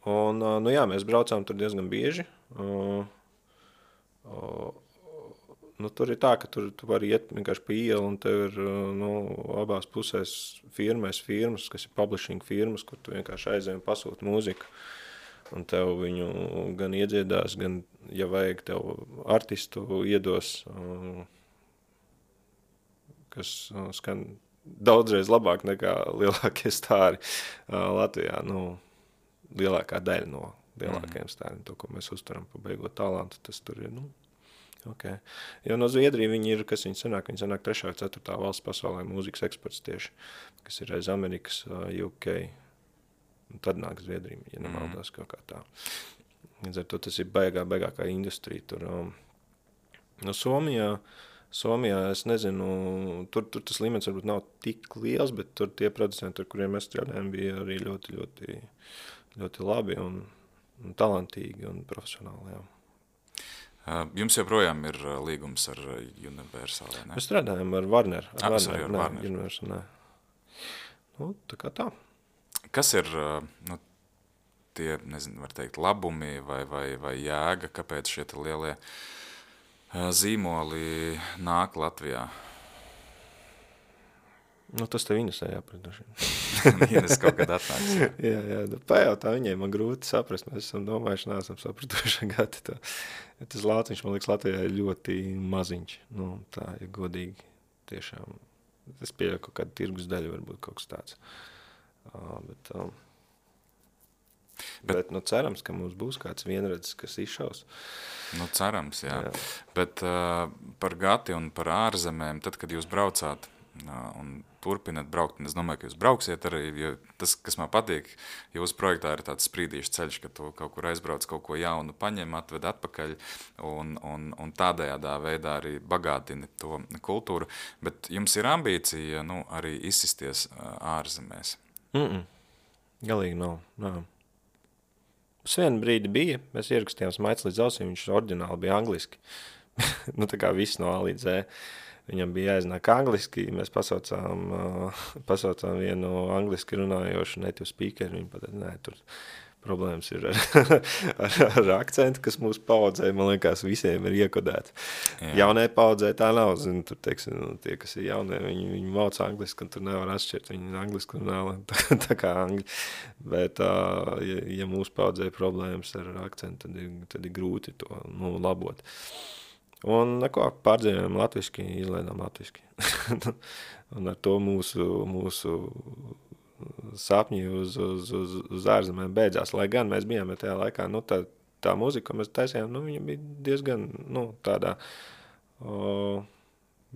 Un, mēs braucām tur diezgan bieži. Tur ir tā, ka tur tu vari iet vienkārši pa ielu, un tev ir abās pusēs firmas, kas ir publishing firmas, kur tu vienkārši aizēji un pasūti mūziku. Un tev viņu gan iedziedās, gan, ja vajag, tev artistu iedos, kas skan daudzreiz labāk nekā lielākie stāri Latvijā. Lielākā daļa no lielākajiem stāriem, to, ko mēs uzturam pa beigot talantu, tas tur ir, okay. Jo no Zviedrija viņi ir, kas viņi sanāk 3. 4. valsts pasaulē mūzikas eksports tieši, kas ir aiz Amerikas, UK, un tad nāk Zviedrija, ja nemaldās kaut kā tā. Līdz ar to tas ir baigākā industrija tur. Somijā, es nezinu, tur tas līmenis varbūt nav tik liels, bet tur tie producenti, ar kuriem mēs strādājam, bija arī ļoti, ļoti, ļoti labi un talantīgi un profesionāli, jā. Jums joprojām ir līgums ar Universal, ne? Mēs strādājam ar Warner. Ar Warner. Universal, nē. Tā kā tā. Kas ir tie, nezinu, var teikt, labumi vai jēga, kāpēc šie lielie zīmoli nāk Latvijā? Tas tev Inesē jāpratdoši. Ines kaut kad atnāks. jā, pajautā viņai, man grūti saprast, mēs esam domājuši, neesam sapratuši gati to. Tas Lāciņš, man liekas, Latvijā ir ļoti maziņš. Tā ir godīgi tiešām. Es pieļauju kaut kādu tirgus daļu, varbūt kaut kas tāds. Bet Bet cerams, ka mums būs kāds vienredzis, kas izšaus. Cerams, jā. Bet par Gati un par ārzemēm, tad, kad jūs braucāt un turpināt braukt, un es domāju, ka jūs brauksiet arī, jo tas, kas man patīk, jūsu projektā ir tāds sprīdīšs ceļš, ka tu kaut kur aizbrauc, kaut ko jaunu paņem, atved atpakaļ un tādējādā veidā arī bagātini to kultūru, bet jums ir ambīcija, arī izsisties ārzemēs? Galīgi nav. Uz vienu brīdi bija, mēs ierakstījām Smaids līdz ausīm, viņš oriģināli bija angliski. Tā kā viss no A līdz Z. Viņam bija jāiznāk angliski, mēs pasaucām vienu angliski runājošu native speakeru, viņi pateica, nē, tur problēmas ir ar akcentu, kas mūsu paudzē, man liekas, visiem ir iekodēts. Jaunai paudzē tā nav, zinu, tur, teiksim, tie, kas ir jaunie, viņi māc angliski, un tur nevar atšķirt, viņi angliski runā, tā kā angļi. Bet, ja mūsu paudzē problēmas ar akcentu, tad ir grūti to labot. Un pārdzīvojam latviski, izlaidām latviski. Un ar to mūsu sapņi uz ārzemēm beidzās. Lai gan mēs bijām tajā laikā, tā mūzika, ko mēs taisījām, viņa bija diezgan, tādā,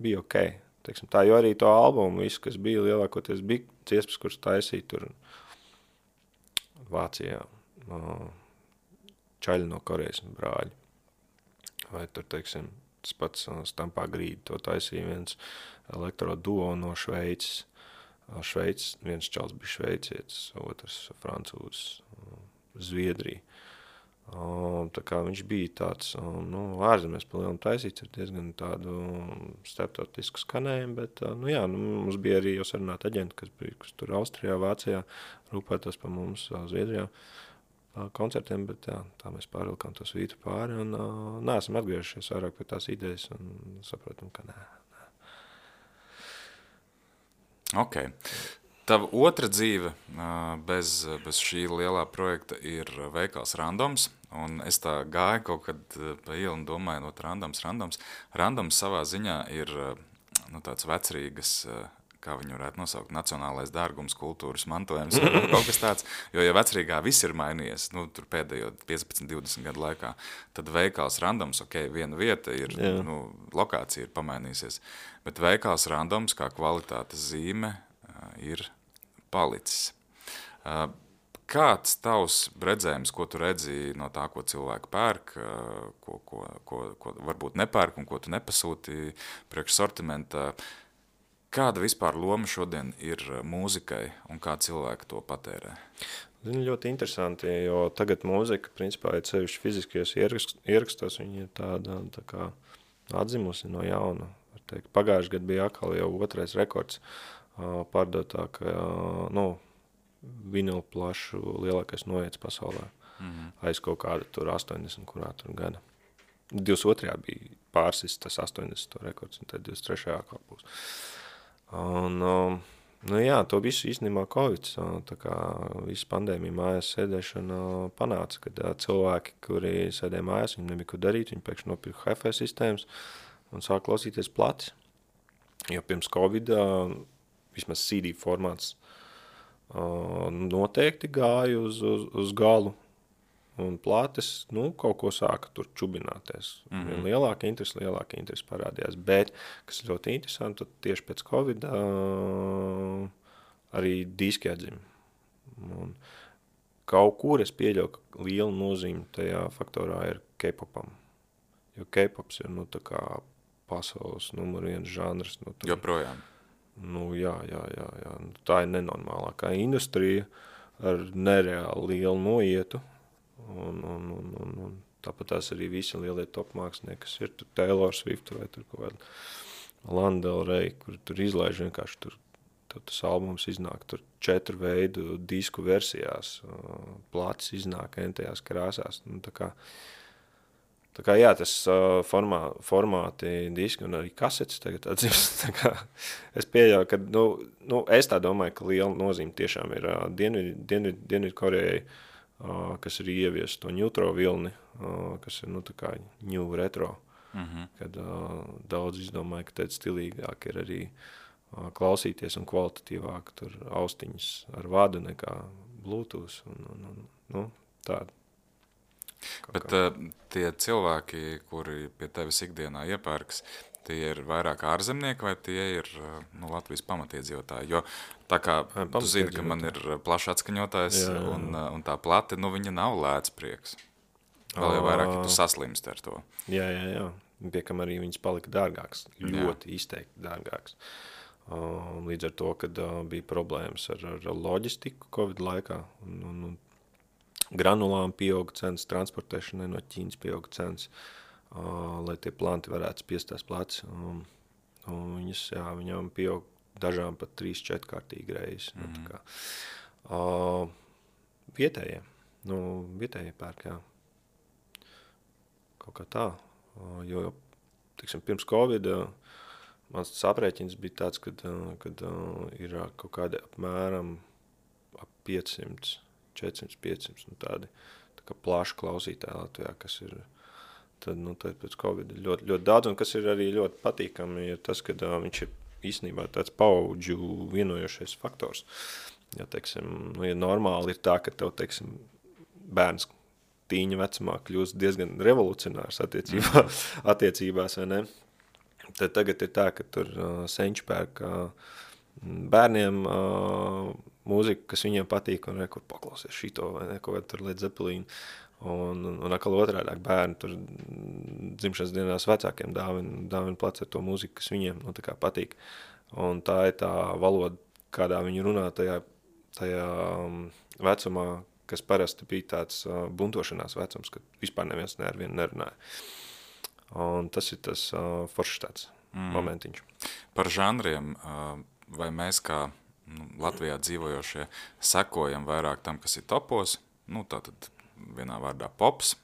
bija ok. Teiksim, tā, jo arī to albumu, visu, kas bija lielākoties, bija dziesmas, kuras taisīja tur Vācijā, čaļi no Korejas brāļi. Vai tur, teiksim, tas pats Stampā Grīdi, to taisīja viens elektro duo no Šveices. Viens čals bija šveicietis, otrs francūzs, Zviedrija. Tā kā viņš bija tāds, ārzemēs pa lielam taisīts ar diezgan tādu starptautisku skanējumu, bet, mums bija arī jau sarunāt aģenti, kas tur Austrijā, Vācijā rūpētos pa mums Zviedrijā koncertiem, bet tā mēs pārvilkām to svītu pāri un neesam atgriežušies vairāk pie tās idejas un saprotam, ka nē. Ok. Tava otra dzīve bez šī lielā projekta ir veikals Randoms, un es tā gāju kaut kad pa ielu un domāju, Randoms. Randoms savā ziņā ir tāds vecrīgas, kā viņu varētu nosaukt, nacionālais dārgums, kultūras mantojums, kaut kas tāds, jo ja vecrīgā viss ir mainījies, tur pēdējo 15-20 gadu laikā, tad veikals Randoms, ok, viena vieta ir, lokācija ir pamainījusies, bet veikals Randoms kā kvalitātes zīme ir palicis. Kāds tavs redzējums, ko tu redzi no tā, ko cilvēki pērk, ko varbūt nepērk un ko tu nepasūti priekš sortimenta? Kāda vispār loma šodien ir mūzikai un kā cilvēki to patērē? Zinu, ļoti interesanti, jo tagad mūzika, principā, ir sevišķi fiziskajos ierakstos, viņa ir tāda tā kā atzimusi no jauna. Pagājuši gadu bija atkal jau otrais rekords pārdotāk, vinilu plašu lielākais noiets pasaulē. Aiz kaut kāda tur 80, kurā tur gada. 22. bija pārsis tas 80 rekords, un tad 23. atkal būs. Un, to visu īstenībā Covids, tā kā visu pandēmiju mājās sēdēšana panāca, kad cilvēki, kuri sēdēja mājās, viņi nebija ko darīt, viņi pēkšņi nopirka hi-fi sistēmas un sāk klausīties platis. Jo pirms Covid vismaz CD formāts noteikti gāja uz galu. Un plātes, kaut ko sāka tur čubināties. Lielāka interesi parādījās. Bet, kas ļoti interesanti, tad tieši pēc Covid arī diski atzima. Un kaut kur es pieļauju, ka liela nozīme tajā faktorā ir K-popam. Jo K-pops ir, tā kā pasaules numur 1 žanrs. Joprojām. Jā. Tā ir nenormālākā industrija ar nereāli lielu noietu. Un tāpat tās arī visi lielie top mākslinieki, kas ir tur Taylor Swift vai tur kaut kāda Lana Del Rey, kur tur izlaiž vienkārši tur tas albums iznāk tur 4 veidu disku versijās, plats iznāk entajās krāsās. Tā kā jā, tas formāti diski un arī kasetes tagad atzīst. Es pieļauju, ka, es tā domāju, ka liela nozīme tiešām ir Dienvidu Korejai, kas ir ievies to neutro vilni, kas ir, tā kā new retro, kad daudz izdomāja, ka tad stilīgāk ir arī klausīties un kvalitatīvāk tur austiņas ar vadu nekā Bluetooth un nu, tāda. Bet tie cilvēki, kuri pie tevis ikdienā iepērkas, tie ir vairāk ārzemnieki vai tie ir Latvijas pamatiedzīvotāji? Jo tā kā tu zini, ka man ir plašs atskaņotājs un tā plati, viņa nav lēts prieks. Vēl jau vairāk, ja tu saslimst ar to. Jā. Piekam arī viņas palika dārgāks, ļoti izteikti dārgāks. Līdz ar to, kad bija problēmas ar loģistiku Covid laikā un granulām pieauga cenas, transportēšanai no Ķīnas pieauga cenas, lai tie planti varētu spiest tās plats. Viņām pieauga dažām pat 3-4 kārtīgi reizes. Vietējie pērk, jā. Kaut kā tā. Jo, teiksim, pirms Covid mans aprēķins bija tāds, kad ir kaut kādi apmēram ap 500, 400, 500 tādi tā kā plaši klausītāji Latvijā, kas ir tad pēc Covid ļoti, ļoti daudz, un kas ir arī ļoti patīkami, ir tas, ka viņš ir īstenībā tāds paudžu vienojošais faktors. Ja, teiksim, ja normāli ir tā, ka tev, teiksim, bērns tīņa vecumā kļūst diezgan revolucionārs attiecībās, vai ne? Tad tagad ir tā, ka tur senči pērk bērniem mūziku, kas viņiem patīk, un kur paklausies šito, vai ne, kaut tur Led Zeppelin, un atkal otrādāk bērni tur dzimšanas dienās vecākiem dāvina plats ar to mūziku, kas viņiem tā kā patīk. Un tā ir tā valoda, kādā viņi runā tajā vecumā, kas parasti bija tāds buntošanās vecums, kad vispār neviens ar vienu nerunāja. Un tas ir tas foršs tāds momentiņš. Par žanriem, vai mēs kā Latvijā dzīvojošie sekojam vairāk tam, kas ir topos, tātad vienā vārdā pops,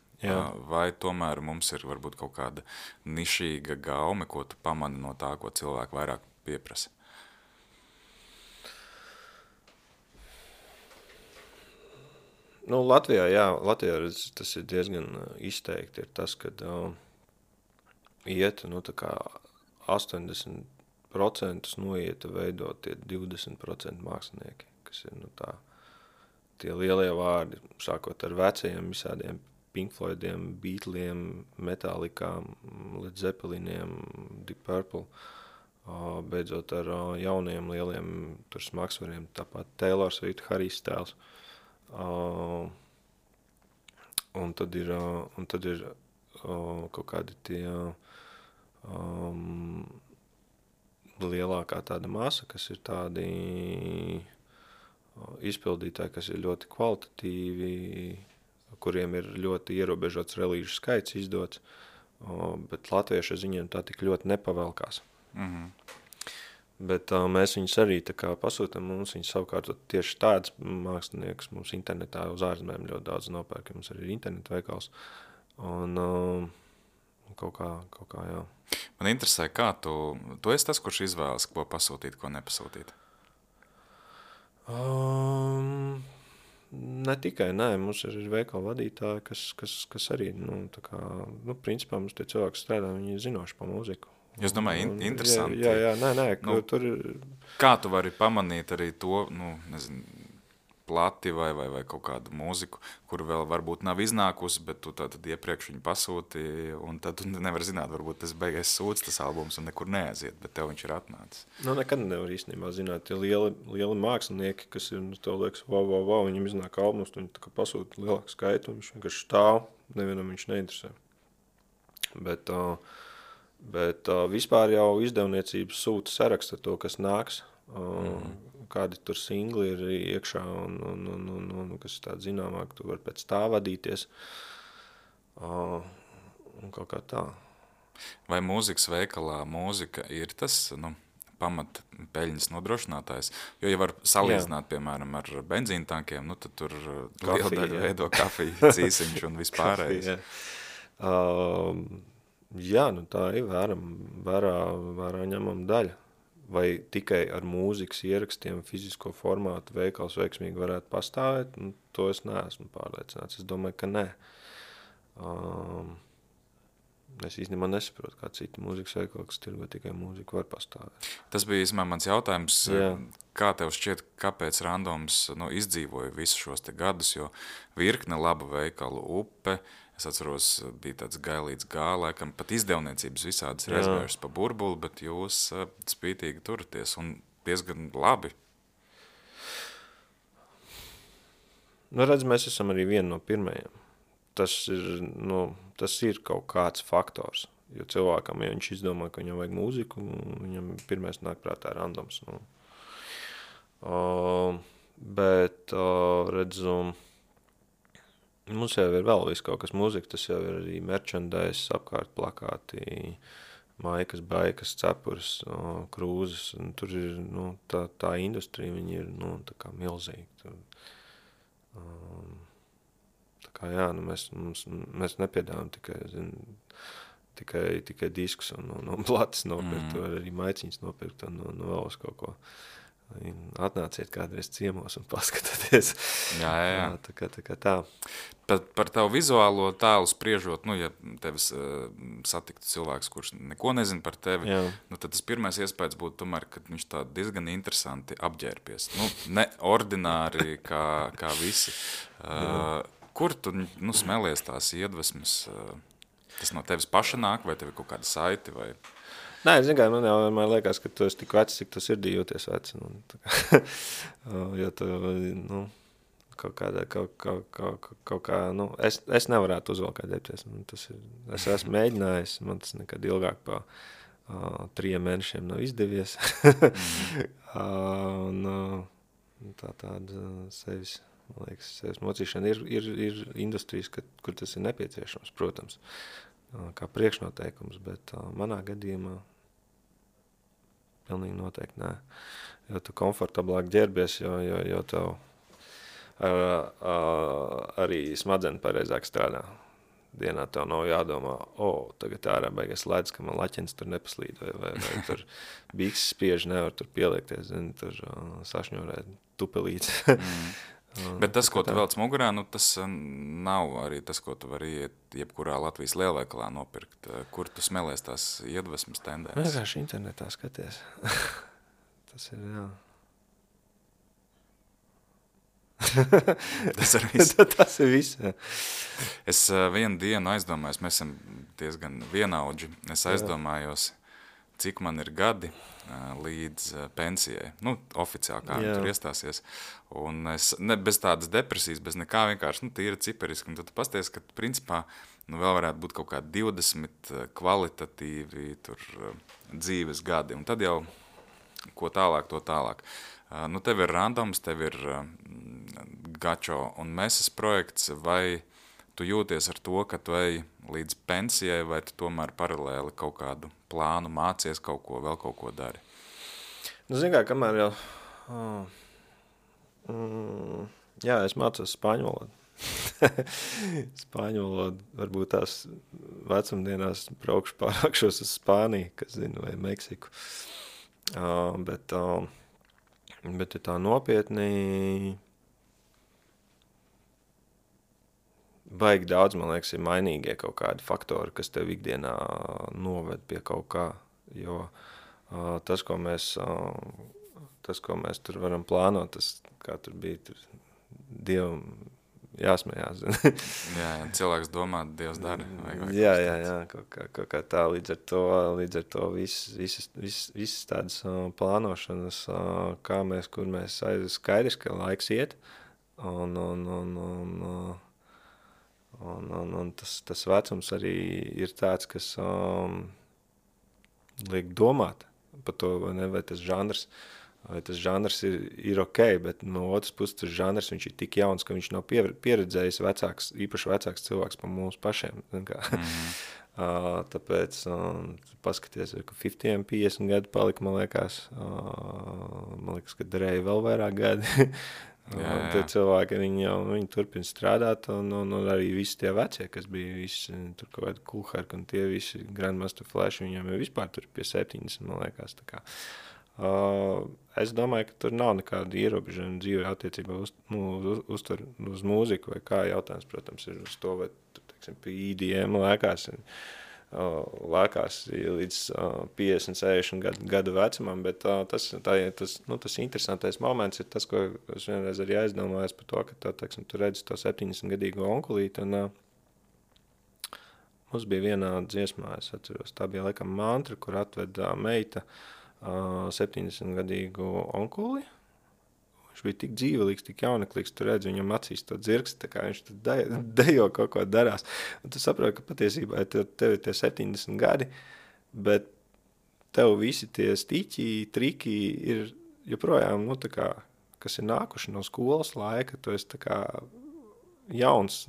vai tomēr mums ir varbūt kaut kāda nišīga gaume, ko tu pamani no tā, ko cilvēki vairāk pieprasa? Latvijā tas ir diezgan izteikti, ir tas, kad iet, tā kā 80% noiet veidot tie 20% mākslinieki, kas ir, tie lielie vārdi, sākot ar vecajiem visādiem Pink Floydiem, Beatliem, Metallicām, Led Zeppeliniem, Deep Purple, beidzot ar jauniem lieliem tur smagsvariem, tāpat Taylor Swift, Harry Styles. Un tad ir kaut kādi tie lielākā tāda masa, kas ir tādi izpildītāji, kas ir ļoti kvalitatīvi, kuriem ir ļoti ierobežots relīžu skaits izdots, bet latviešu ziņiem tā tik ļoti nepavelkās. Bet mēs viņus arī tā kā pasūtam, mums viņus savukārt tieši tāds mākslinieks mums internetā uz ārzemēm ļoti daudz nopērk, mums arī ir internetu veikals, un kaut kā, jā. Man interesē, kā tu esi tas, kurš izvēlas, ko pasūtīt, ko nepasūtīt? Ne tikai, mums ir veikala vadītāji, kas arī, principā mums tie cilvēki strādā, viņi ir zinoši pa mūziku. Es domāju, interesanti. Jā, tur ir... Kā tu vari pamanīt arī to, plati vai kaut kādu mūziku, kur vēl varbūt nav iznākusi, bet tu tad iepriekš viņu pasūti, un tad tu nevar zināt, varbūt tas beigais sūds tas albums un nekur neaiziet, bet tev viņš ir atnācis. Nekad nevar īstenībā zināt, tie lieli mākslinieki, kas ir, tev liekas, wow, viņam iznāk albums, viņi tā kā pasūta lielāku skaitu, un viņš vienkārši stāv, nevienam viņš neinteresē. Bet vispār jau izdevniecības sūta saraksta to, kas nāks, kādi tur singli ir iekšā un kas ir tāda zināmāk, tu var pēc tā vadīties un kaut kā tā. Vai mūzikas veikalā mūzika ir tas, pamat peļņas nodrošinātājs? Jo, ja var salīdzināt, piemēram, ar benzīntankiem, tad tur liela daļa veido kafiju, cīsiņš un vispārējais. Jā, tā ir vērā ņemama daļa. Vai tikai ar mūzikas ierakstiem fizisko formātu veikals veiksmīgi varētu pastāvēt, to es neesmu pārliecināts. Es domāju, ka nē. Es īstenībā nesaprotu, kā citi mūzikas veikali, kas tirgo tikai mūziku, var pastāvēt. Tas bija īstenībā mans jautājums, Jā. kā tev šķiet, kāpēc Randoms izdzīvoja visus šos te gadus, jo virkne labu veikalu Upe, es atceros, bija tāds Gailīts Gā, laikam pat izdevniecības visādas rezvējušas pa burbuli, bet jūs spītīgi turaties un diezgan labi. Nu, redz, mēs esam arī vieni no pirmajiem. Tas ir kaut kāds faktors, jo cilvēkam, ja viņš izdomā, ka viņam vajag mūziku, viņam pirmais nāk prātā Randoms. Bet, redzu, mums jau ir vēl viss kaut kas mūzika, tas jau ir arī merchandise, apkārt plakāti, maikas, baikas, cepures, krūzes, un tur ir, tā industrija, viņi ir, tā kā milzīgi. Tur, tā kā, jā, mēs nepiedāvājam tikai diskus un platis nopirkt, vai arī maiciņas nopirkt un vēl uz kaut ko. Atnāciet kādreiz ciemos un paskatieties. Jā. Tā kā tā. Par tavu vizuālo tēlu spriežot, ja tevis satiktu cilvēks, kurš neko nezina par tevi, tad tas pirmais iespējas būtu tomēr, ka viņš tā diezgan interesanti apģērbies. Ne ordināri kā visi. Kur tu smelies tās iedvesmas? Tas no tevis paša nāk, vai tev ir kaut kāda saiti? Vai... Nē, man jau vienmēr liekas, ka tu esi tik vecs, cik tu sirdī jūties veci. Jo tu, kaut kā, es nevarētu uzvalk ģērbties. Es esmu mēģinājis, man tas nekad ilgāk pa 3 mēnešiem nav izdevies. Tāda sevis, man liekas, sevis mocīšana ir industrijas, kur tas ir nepieciešams, protams, kā priekšnoteikums, bet manā gadījumā pilnīgi noteikti nē. Jo tu komfortablāk ģērbies, jo tev arī smadzenes pareizāk strādā. Dienā tev nav jādomā, tagad ārā beigas ledus, ka man laķens tur nepaslīd, vai tur bikses spieži nevar tur pieliekties, tur sašņorēt tupelītes. Bet tas, ko tu velc mugurā, tas nav arī tas, ko tu vari iet jebkurā Latvijas lielveikalā nopirkt. Kur tu smelies tās iedvesmas tendences? Vienkārši internetā skaties. Tas ir, jā. Tas ir viss. Tas ir viss, jā. Es vienu dienu aizdomājos, mēs esam diezgan vienaudži. Es aizdomājos, cik man ir gadi līdz pensijai. Oficiāli kā viņi tur iestāsies. Un es bez tādas depresijas, bez nekā vienkārši tīra ciperiski. Un tad tu pasties, ka principā vēl varētu būt kaut kādi 20 kvalitatīvi tur dzīves gadi. Un tad jau ko tālāk, to tālāk. Tev ir Randoms, tev ir Gačo un Meses projekts, vai tu jūties ar to, ka tu ej līdz pensijai, vai tu tomēr paralēli kaut kādu plānu mācies kaut ko, vēl kaut ko dari? Zini kā, kamēr jau... jā, es mācos spāņu valodu. Spāņu valodu, varbūt tās vecumdienās pārākšos uz Spāniju, kas zinu, vai Meksiku. Bet ja tā nopietni... Baigi daudz, man liekas, ir mainīgie kaut kādi faktori, kas tev ikdienā noved pie kaut kā, jo tas, ko mēs tur varam plānot, tas, kā tur bija, tur Dievam jāsmējās. Jā, cilvēks domā, Dievs dara. Jā, kaut kā tā, līdz ar to visas tādas plānošanas, kā mēs, kur mēs skaidrs, ka laiks iet, un tas vecums arī ir tāds, kas liek domāt par to, vai tas žanrs ir ok, bet no otras puses tas žanrs, viņš ir tik jauns, ka viņš nav pieredzējis īpaši vecāks cilvēks par mums pašiem. Tāpēc paskaties, ka 50 gadi palika, man liekas, ka darēja vēl vairāk gadi. Tie cilvēki, viņi turpina strādāt, un arī visi tie vecie, kas bija visi, tur kaut kādi Kulhark, un tie visi Grandmaster Flash, viņiem jau vispār tur pie 70, man liekas, tā kā. Es domāju, ka tur nav nekāda ierobežojuma dzīvē attiecībā uz mūziku, vai kā jautājums, protams, ir uz to, vai tur, teiksim, pie EDM lēkās. lēkās līdz 50, 60 gadu vecumam, bet tas interesantais moments ir tas, ko es vienreiz arī aizdomājos par to, ka tu redzi to 70-gadīgo onkulīti, un mums bija vienā dziesmā, es atceros, tā bija laikam mantra, kur atved meita 70-gadīgu onkuli. Viņš bija tik dzīvelīgs, tik jauneklīgs, tu redzi viņam acīs to dzirksti, tā kā viņš dejo kaut ko darās. Un tu saproti, ka patiesībā tev ir tie 70 gadi, bet tev visi tie stiķi, triki ir joprojām, tā kā, kas ir nākuši no skolas laika, tu esi tā kā jauns,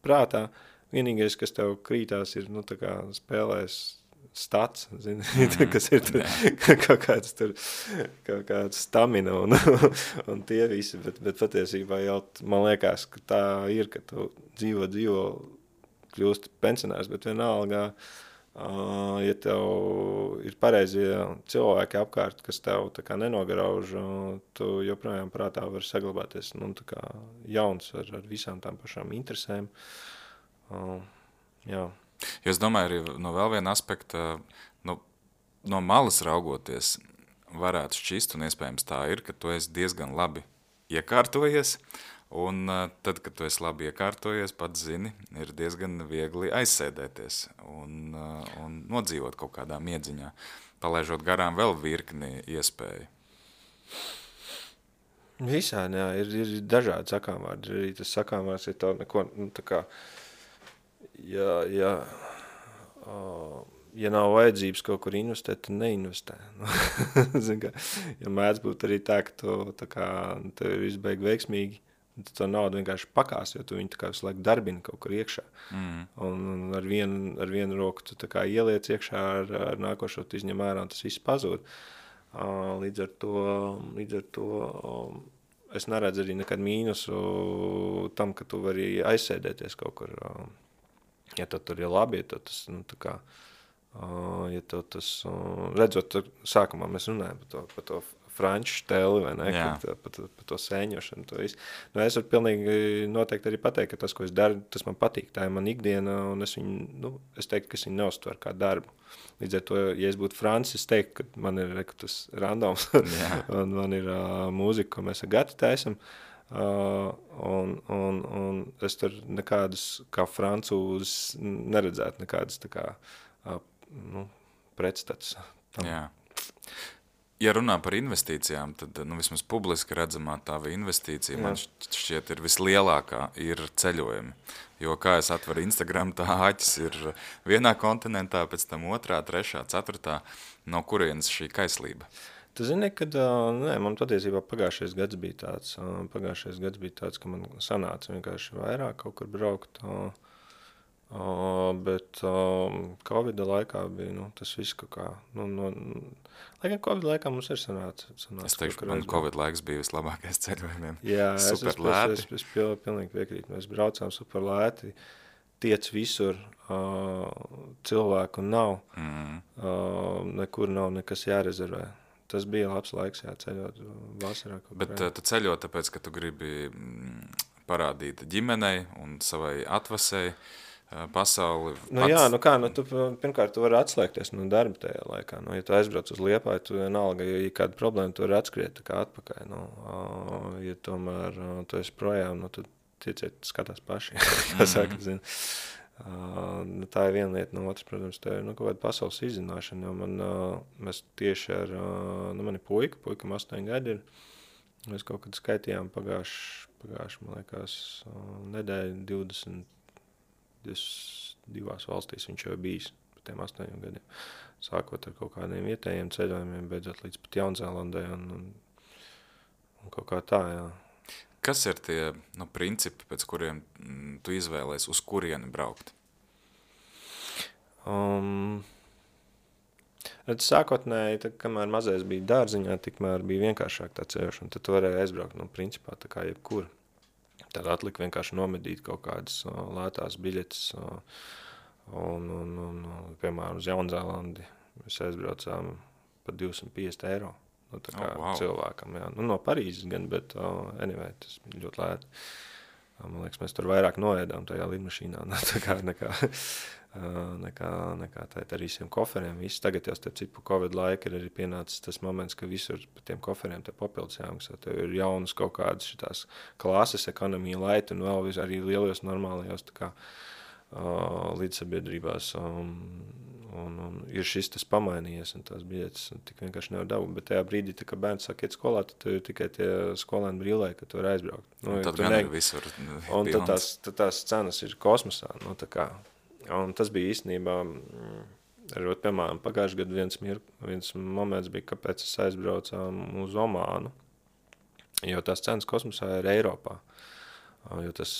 prātā. Vienīgais, kas tev krītās, ir, tā kā spēlēs stats, zini, kas ir tur, kaut kāds stamina un tie visi, bet patiesībā jau man liekas, ka tā ir, ka tu dzīvo, kļūst pensionārs, bet vienalga, ja tev ir pareizie cilvēki apkārt, kas tev tā kā nenogarauž, tu joprojām prātā var saglabāties, tā kā jauns ar visām tām pašām interesēm. Jā. Jo es domāju, arī no vēl viena aspekta, no malas raugoties, varētu šķist, un iespējams tā ir, ka tu esi diezgan labi iekārtojies, un tad, kad tu esi labi iekārtojies, pats zini, ir diezgan viegli aizsēdēties un nodzīvot kaut kādā miedziņā, palaižot garām vēl virkni iespēju. Visādi, jā, ir dažādi sakāmvārdi, arī tas sakāmvārds ir tā neko, tā kā, ja nav vajadzības kaut kur investēt, tad neinvestē. Ja mēdz būt arī tā, ka tev ir viss beig veiksmīgi, tad to naudu vienkārši pakās, jo tu viņu tā kā visu laiku darbini kaut kur iekšā. Un ar vienu roku tu tā kā ieliec iekšā, ar nākošo tu izņem ārā, un tas viss pazūd. Līdz ar to es neredzu arī nekad mīnusu tam, ka tu vari aizsēdēties kaut kur. Ja tev tur ir labi, ja tev tas, ja tev tas, redzot, sākumā mēs runājam par to franču steli, vai ne, par to sēņošanu, to visu. Es varu pilnīgi noteikti arī pateikt, ka tas, ko es daru, tas man patīk, tā ir man ikdiena, un es viņu, es teiktu, ka es viņu neuztveru kā darbu. Līdz ar to, ja es būtu Francis, es teiktu, ka man ir tas randoms, un man ir mūzika, ko mēs ar Gati taisam, un es tur nekādas, kā francūzes, neredzētu nekādas tā kā, pretstats tam. Jā. Ja runā par investīcijām, tad vismaz publiski redzamā tava investīcija, man šķiet ir vislielākā, ir ceļojumi. Jo kā es atveru Instagram, tā aķis ir vienā kontinentā, pēc tam otrā, trešā, ceturtā, no kurienes šī kaislība? Tu zini, kad man patiesībā pagājušais gads bija tāds, ka man sanāca vienkārši vairāk kaut kur braukt, bet Covid laikā bija, tas viss kaut kā, lai gan Covid laikā mums ir sanāca. Es teikšu, man Covid laiks bija vislabākais ceļojumiem. Jā, super lēti. Es pilnīgi piekrītu, mēs braucām super lēti, tiec visur, cilvēku nav, nekur nav nekas jārezervē. Tas bija labs laiks, ceļot vasarā. Bet tu ceļo tāpēc, ka tu gribi parādīt ģimenei un savai atvasei pasauli. Tu pirmkārt tu vari atslēgties no darba tajā laikā. Ja tu aizbrauc uz Liepāju, tu vienalga, ja kāda problēma, tu vari atskriet tā kā atpakaļ. Ja tomēr tu esi projām, tad tieciet skatās paši, kā saka, zini. Tā ir viena lieta, no otras, protams, tā ir kaut kāda pasaules izzināšana, jo mēs tieši ar mani puikam 8 gadi ir, mēs kaut kad skaitījām pagājuši, man liekas, nedēļu 22 valstīs viņš jau bijis par tiem 8 gadiem, sākot ar kaut kādiem vietējiem ceļojumiem, beidzot līdz pat Jaunzēlandē un kaut kā tā, jā. Kas ir tie principi, pēc kuriem tu izvēlēs, uz kurieni braukt? Sākotnēji, kamēr mazais bija dārziņā, tikmēr bija vienkāršāk tā ceļošana. Tad tu varēji aizbraukt, principā, tā kā jebkur. Tad atlika vienkārši nomedīt kaut kādas lētās biļetes. Un piemēram, uz Jaunzēlandi mēs aizbraucām par 250 eiro. Tā kā cilvēkam, jā. No Parīzes gan, bet anyway, tas bija ļoti lēti. Man liekas, mēs tur vairāk noēdām tajā lidmašīnā nekā ar visiem koferiem. Viss tagad jau starp citu Covid laika ir arī pienācis tas moments, ka visur pa tiem koferiem te papildus jāmaksā. Tev ir jaunas kaut kādas šitās klases, ekonomija, laiti un vēl arī lielos normālajos tā kā līdzsabiedrībās. Un ir šis tas pamainījies, un tās biļetes tik vienkārši nevar dabūt. Bet tajā brīdī, tā, kad bērns sāk iet skolā, tad ir tikai tie skolēni brīlē, ka tu vari aizbraukt. Nu, tad gan ir visur. Un tad tās cenas ir kosmosā. Nu, tā kā. Un tas bija īstenībā, piemēram, pagājušajā gadā viens moments bija, kāpēc es aizbraucām uz Omānu, jo tās cenas kosmosā ir Eiropā. Jo tas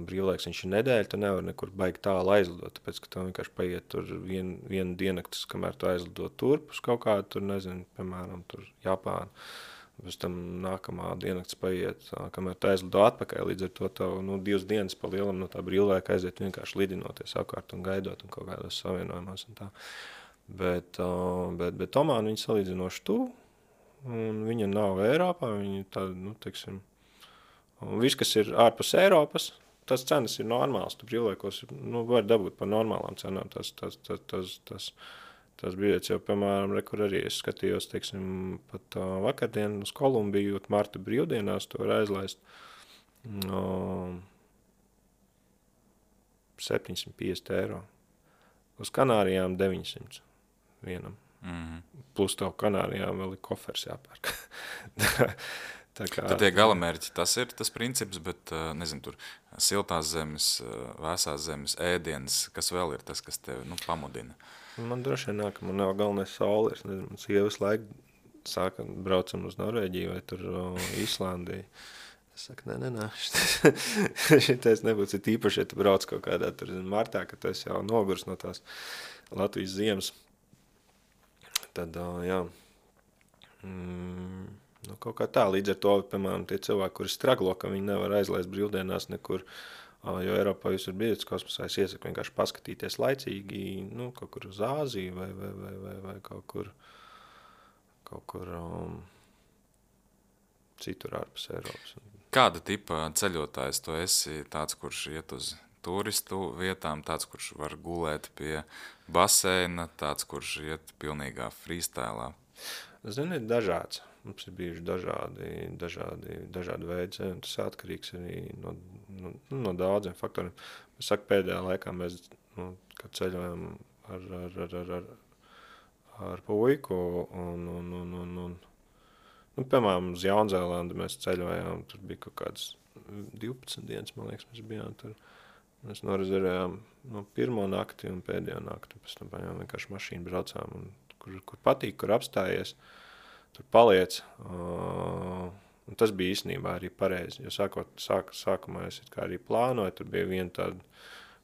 brīvlaiks viņš ir nedēļa, tu nevar nekur baigi tālu aizlidot, tāpēc, ka tev vienkārši paiet tur vienu diennaktis, kamēr tu aizlido turp uz kaut kādu, tur nezinu, piemēram, tur Japānu. Pēc tam nākamā diennaktis paiet, kamēr tu aizlido atpakaļ, līdz ar to tev 2 dienas pa lielam no tā brīvlaika aiziet vienkārši lidinoties apkārt un gaidot un kaut kādos savienojumos un tā. Bet Omāna viņa salīdzinoši tuvu, un viņa nav Eiropā, viņa tāda, teiksim, un viss, kas ir ārpus Eiropas, tas cenas ir normāls. Tu brīvlaikos var dabūt par normālām cenām. Tas biļets jau, piemēram, kur arī es skatījos, teiksim, pat vakardien uz Kolumbiju, marta brīvdienās, to var aizlaist 750 eiro. Uz Kanārijām 900 vienam. Plus tev Kanārijām vēl ir kofers jāpērk. Tad tie galamērķi, tas ir tas princips, bet, nezinu, tur siltās zemes, vēsās zemes, ēdienas, kas vēl ir tas, kas tevi pamudina? Man droši vien nāk, man nav galvenais saule, es nezinu, man sievas laika braucam uz Norvēģiju vai tur Īslandiju. Es saku, nē, šitais nebūs, ir īpaši, ja tu brauc kaut kādā tur martā, ka tu esi jau nogurs no tās Latvijas ziemas. Tad, jā, kaut kā tā, līdz ar to, piemēram, tie cilvēki, kuri straglo, ka viņi nevar aizlaist brīvdienās nekur, jo Eiropā jūs ir bijusi kosmosā, es iesaku vienkārši paskatīties laicīgi, kaut kur uz Āziju vai kaut kur citur ārpus Eiropas. Kāda tipa ceļotājs tu esi? Tāds, kurš iet uz turistu vietām, tāds, kurš var gulēt pie baseina, tāds, kurš iet pilnīgā freestylā? Zini, ir dažāds. Mums ir bijuši dažādi veidi, un tas atkarīgs arī no daudziem faktoriem. Es saku, pēdējā laikā mēs kad ceļojam ar puiku, un piemēram, uz Jaunzēlandi mēs ceļojām, tur bija kaut kāds 12 dienas, man liekas, mēs bijām tur. Mēs norezervējām pirmo nakti un pēdējo nakti, pēc tam vienkārši mašīnu braucām, un kur patīk, kur apstājies, tur paliec. Un tas bija īstenībā arī pareizi, jo sākumā es kā arī plānoju, tur bija viena tāda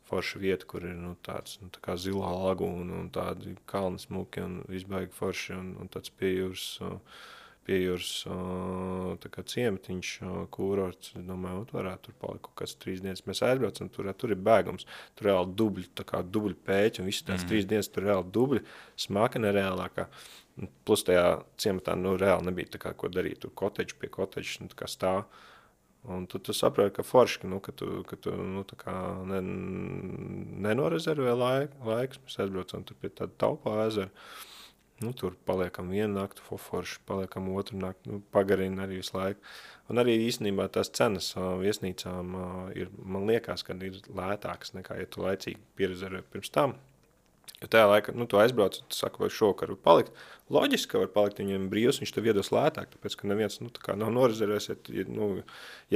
forša vieta, kur ir tāds tā kā zilā lagūna un tādi kalni smuki un visbaigi forši un tāds piejūras tā kā ciematiņš, kūrorts. Es domāju, varētu tur palikt kaut kāds 3 dienas. Mēs aizbraucam, tur ir bēgums, tur reāli dubļi, tā kā dubļi pēķi, un visi tās 3 dienas tur reāli dubļi, smaka nereālākā. Plus tajā ciematā, reāli nebija tā kā ko darīt, tur koteģi pie koteģis, tā kā stāv. Un tu saproti, ka forši, ka tu tā kā nenorezervē laiks. Mēs aizbraucam tur pie tāda Taupā ezera. Tur paliekam vienu naktu, forši, paliekam otru naktu, pagarina arī visu laiku. Un arī īstenībā tās cenas viesnīcām ir, man liekas, ka ir lētākas nekā, ja tu laicīgi pierezervē pirms tam. Jo tajā laikā, tu aizbrauc, tu saki, vai šokar var palikt. Loģiski, ka var palikt, viņiem brīvs, viņš tev iedos lētāk, tāpēc, ka neviens, tā kā nav norezervēs, ja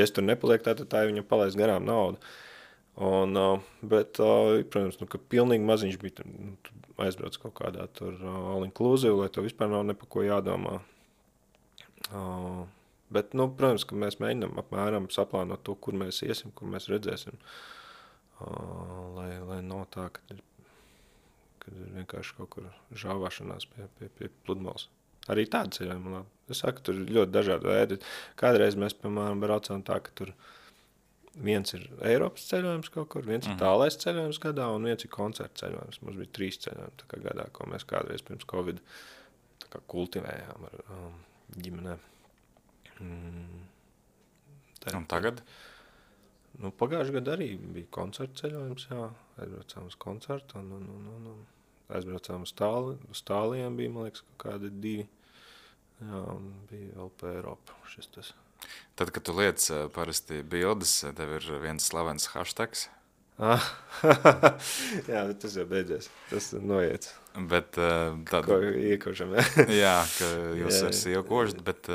es tur nepaliek, tad tā viņam palaist garām naudu. Bet, protams, ka pilnīgi maziņš bija, tu aizbrauc kaut kādā tur all-inclusive, lai tev vispār nav nepa ko jādomā. Bet, protams, ka mēs mēģinām apmēram saplānot to, kur mēs iesim, kur mēs redzēsim, lai nav tā, kad ir vienkārši kaut kur žāvāšanās pie pludmales. Arī tāda ceļojuma labi. Es saku, tur ir ļoti dažādi veidi. Kādreiz mēs, piemēram, braucām tā, ka tur viens ir Eiropas ceļojums kaut kur, viens ir tālais ceļojums gadā un viens ir koncerta ceļojums. Mums bija 3 ceļojumi tā kā gadā, ko mēs kādreiz pirms Covid tā kā kultivējām ar ģimenē. Un tagad? Nu, pagājušajā gadā arī bija koncerta ceļojums, jā. Aizbraucām uz koncertu un aizbraucām uz tāliem, bija, man liekas, kaut kādi 2. Jā, un bija vēl pa Eiropu šis tas. Tad, kad tu liec parasti bildes, tev ir viens slavens hashtags. Jā, tas jau beidzies. Tas noiets. Bet tad... Ko iekošam, jā. Jā, ka jūs ar sievu košat, bet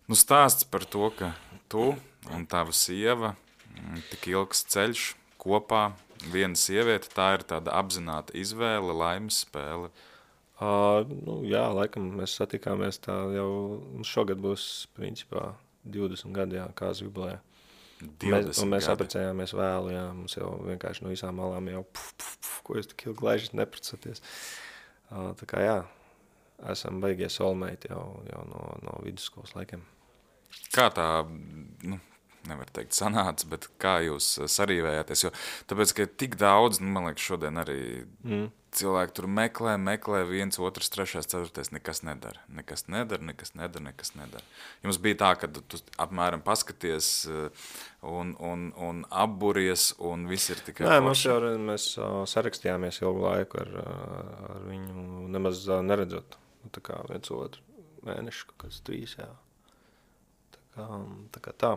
nu stāsts par to, ka tu un tava sieva tik ilgs ceļš kopā, viena sieviete, tā ir tāda apzināta izvēle, laimes spēle. Nu, jā, laikam mēs satikāmies tā jau, šogad būs principā 20 gadi, jā, kāds jubilējā. Un mēs apprecējāmies vēlu, jā, mums jau vienkārši no visām malām jau ko jūs tik ilgi laižat neprecoties. Tā kā jā, esam baigie soulmate jau no vidusskolas laikiem. Kā tā, nu, nevar teikt sanāca, bet kā jūs sarīvējāties, jo tāpēc, ka tik daudz, nu, man liekas, šodien arī cilvēki tur meklē, viens, otrs, trešais, ceturtais, nekas nedara. Jums bija tā, ka tu apmēram paskaties un apburies, un viss ir tikai forši? Nē, mēs sarakstījāmies ilgu laiku ar viņu, nemaz neredzot, tā kā viens otru mēnešu, kaut kāds 3, jā. Tā kā tā.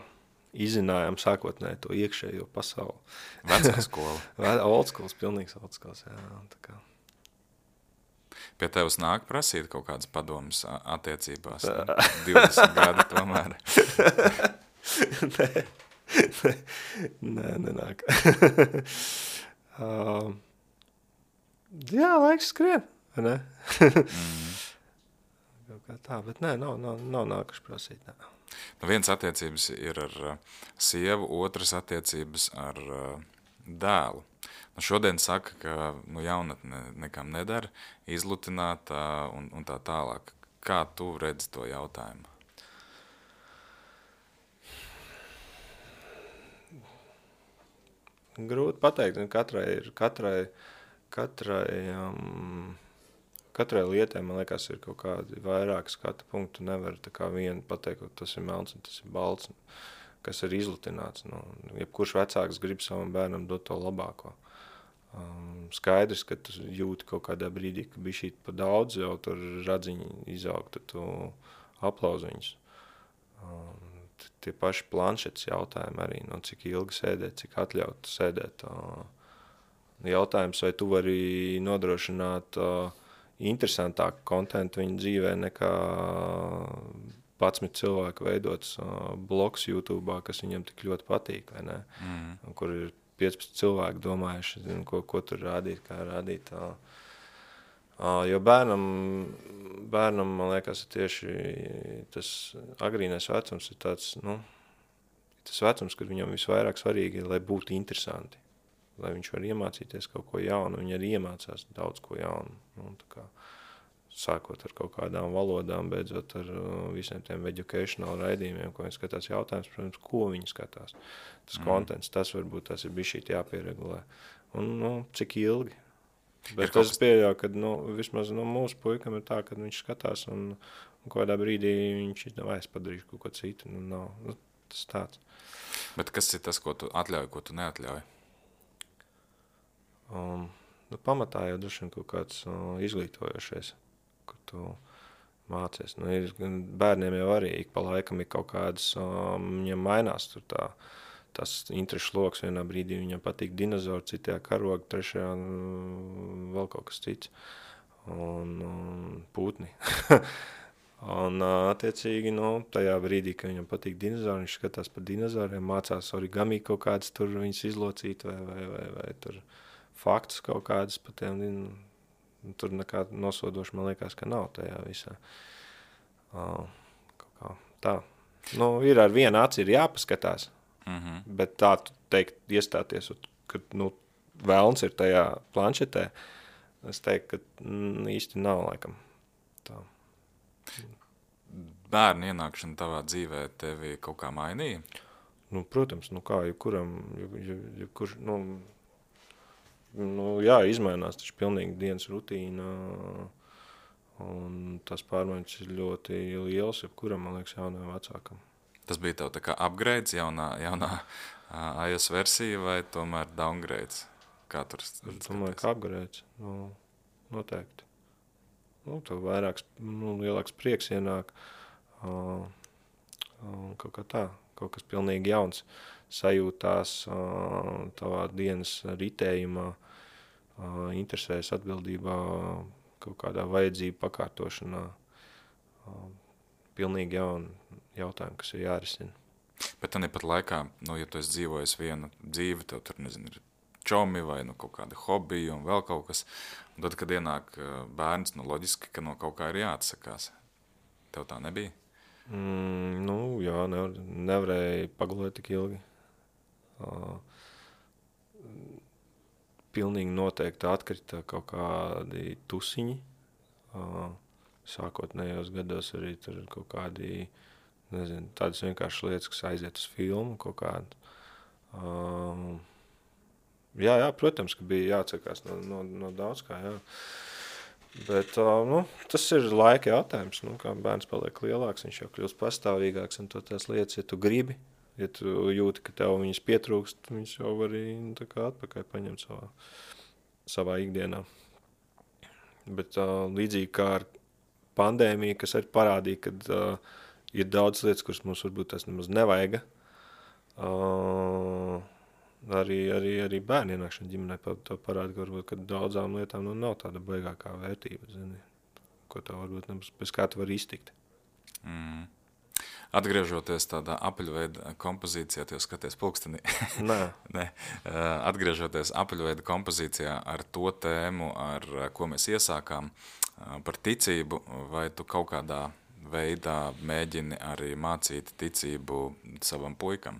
Izzinājām sākotnēji to iekšējo pasauli. Vecā skola. Old schools, pilnīgs old schools, jā. Tā kā. Pie tevs nāk prasīt kaut kādas padomas attiecībās? 20 gadi tomēr. Nē, nenāk. Jā, laiks skrien, vai ne? Kaut kā tā, bet nē, nav nākuši prasīt, nē. Nu, viens attiecības ir ar sievu, otras attiecības ar dēlu. Nu, šodien saka, ka jaunatne nekam nedara, izlutināt un tā tālāk. Kā tu redzi to jautājumu? Grūti pateikt, katrai lietai, man liekas, ir kaut kādi vairāki skatu punktu. Nevar tā kā vienu pateikt, ka tas ir melns un tas ir balts, kas ir izlutināts. Nu, jebkurš vecāks grib savam bērnam dot to labāko. Skaidrs, ka tu jūti kaut kādā brīdī, ka bija šī pa daudz, jau tur radziņi izaug, tad tu aplauzi viņus. Tie paši planšetes jautājumi arī, nu, cik ilgi sēdēt, cik atļaut sēdēt. Jautājums, vai tu vari nodrošināt interesantāku kontentu viņa dzīvē nekā 11 cilvēku veidots blogs YouTube'ā, kas viņam tik ļoti patīk, vai ne? Kur ir 15 cilvēki domājuši, ko tur rādīt, kā rādīt. Jo bērnam, man liekas, tieši tas agrīnais vecums ir tāds, nu, tas vecums, kad viņam visvairāk svarīgi ir, lai būtu interesanti. Lai viņš var iemācīties kaut ko jaunu, viņi arī iemācās daudz ko jaunu. Nu, tā kā, sākot ar kaut kādām valodām, beidzot ar visiem tiem educational raidījumiem, ko viņi skatās jautājums, protams, ko viņi skatās. Tas kontents, tas varbūt tas ir bišķīt jāpieregulē. Un, nu, cik ilgi. Bet es pieļauju, ka vismaz mūsu puikam ir tā, ka viņš skatās un kādā brīdī viņš es padarīšu kaut ko citu. Tas tāds. Bet kas ir tas, ko tu atļauj, ko tu neatļauj? Pamatā jau droši vien kaut kāds izglītojošais, kur tu mācies. Bērniem jau arī ik pa laikam ir kaut kādas, viņam mainās tur tas interešu loks. Vienā brīdī viņam patīk dinozauri, citajā karogi, trešajā vēl kaut kas cits. Un pūtni. Un attiecīgi, tajā brīdī, kad viņam patīk dinozauri, viņš skatās par dinozauriem, mācās origami kaut kādas tur viņas izlocīt vai tur faktus kaut kādas par tiem, tur nekā nosodoši, man liekas, ka nav tajā visā. Kaut kā tā. Ir ar vienu aci ir jāpaskatās, bet tā teikt, iestāties, kad velns ir tajā planšetē, es teiktu, ka īsti nav laikam tā. Bērnu ienākšana tavā dzīvē tevi kaut kā mainīja? Protams, kā jebkuram, jā, izmainās taču pilnīgi dienas rutīna, un tas pārmaiņas ir ļoti liels, jebkuram, man liekas, jaunajam vecākam. Tas bija tev tā kā upgrades, jaunā iOS versija vai tomēr downgrades? Kā tur Es domāju, ka apgarēts. Noteikti. Tev vairāks, lielāks prieks ienāk. Kaut kā tā. Kaut kas pilnīgi jauns sajūtās tavā dienas ritējumā, interesēs atbildībā, kaut kādā vajadzību pakārtošanā. Pilnīgi jauni jautājumi, kas ir jārisina. Bet tad pat laikā, ja tu esi dzīvojis vienu dzīvi, tev tur, nezinu, ir čomi vai kaut kāda hobija un vēl kaut kas, un tad, kad ienāk bērns, loģiski, ka no kaut kā ir jāatsakās. Tev tā nebija? Jā, nevarēja pagulēt tik ilgi. Pilnīgi noteikti atkrita kaut kādi tusiņi. Sākotnējos gados arī tur kaut kādi, nezinu, tādas vienkāršas lietas, kas aiziet uz filmu kaut kādu. Jā, protams, ka bija jāatsakās no daudz kā, jā. Bet tas ir laika jautājums. Kā bērns paliek lielāks, viņš jau kļūst pastāvīgāks, un tās lietas, ja tu gribi, ja tu jūti, ka tev viņas pietrūkst, viņas jau var arī tā kā atpakaļ paņemt savā ikdienā. Bet līdzīgi kā ar pandēmiju, kas arī parādīja, kad ir daudz lietas, kuras mums varbūt tas nemaz nevajaga. Arī bērni ienākšana ģimenē to parāda, ka varbūt, ka daudzām lietām nav tāda baigākā vērtība, zini, ko tev varbūt nebūs, bez kā tu vari iztikt. Atgriežoties tādā apaļveida kompozīcijā, tu jau skaties pulkstenī. Nē. Atgriežoties apaļveida kompozīcijā ar to tēmu, ar ko mēs iesākām, par ticību, vai tu kaut kādā veidā mēģini arī mācīt ticību savam puikam?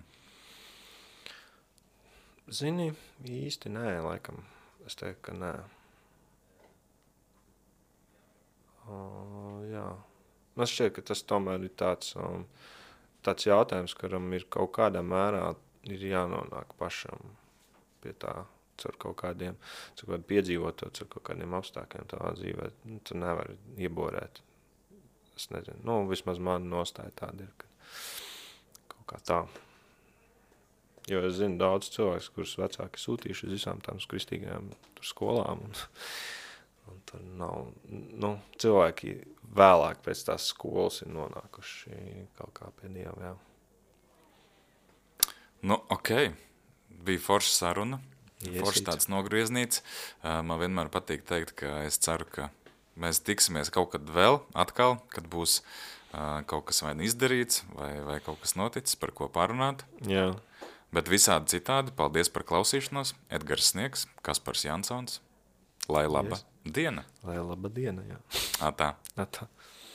Zini, īsti nē, laikam. Es teiktu, ka nē. Jā. Man šķiet, ka tas tomēr ir tāds jautājums, kuram ir kaut kādā mērā ir jānonāk pašam pie tā, caur kaut kādiem piedzīvoto, caur kaut kādiem apstākļiem tavā dzīvē. Tu nevari ieborēt. Es nezinu. Vismaz man nostāja tāda ir, ka kaut kā tā. Jo es zinu daudz cilvēkus, kurus vecāki sūtījuši uz visām tām kristīgajām skolām. Un tur nav, cilvēki vēlāk pēc tās skolas ir nonākuši kaut kā pie Dieva, jā. Ok. Bija forša saruna. Forša tāds nogrieznīts. Man vienmēr patīk teikt, ka es ceru, ka mēs tiksimies kaut kad vēl atkal, kad būs kaut kas vai izdarīts, vai kaut kas noticis, par ko pārunāt. Jā. Bet visādi citādi, paldies par klausīšanos. Edgars Sniegs, Kaspars Jansons. Lai laba diena. Lai laba diena, jā. Atā. Atā.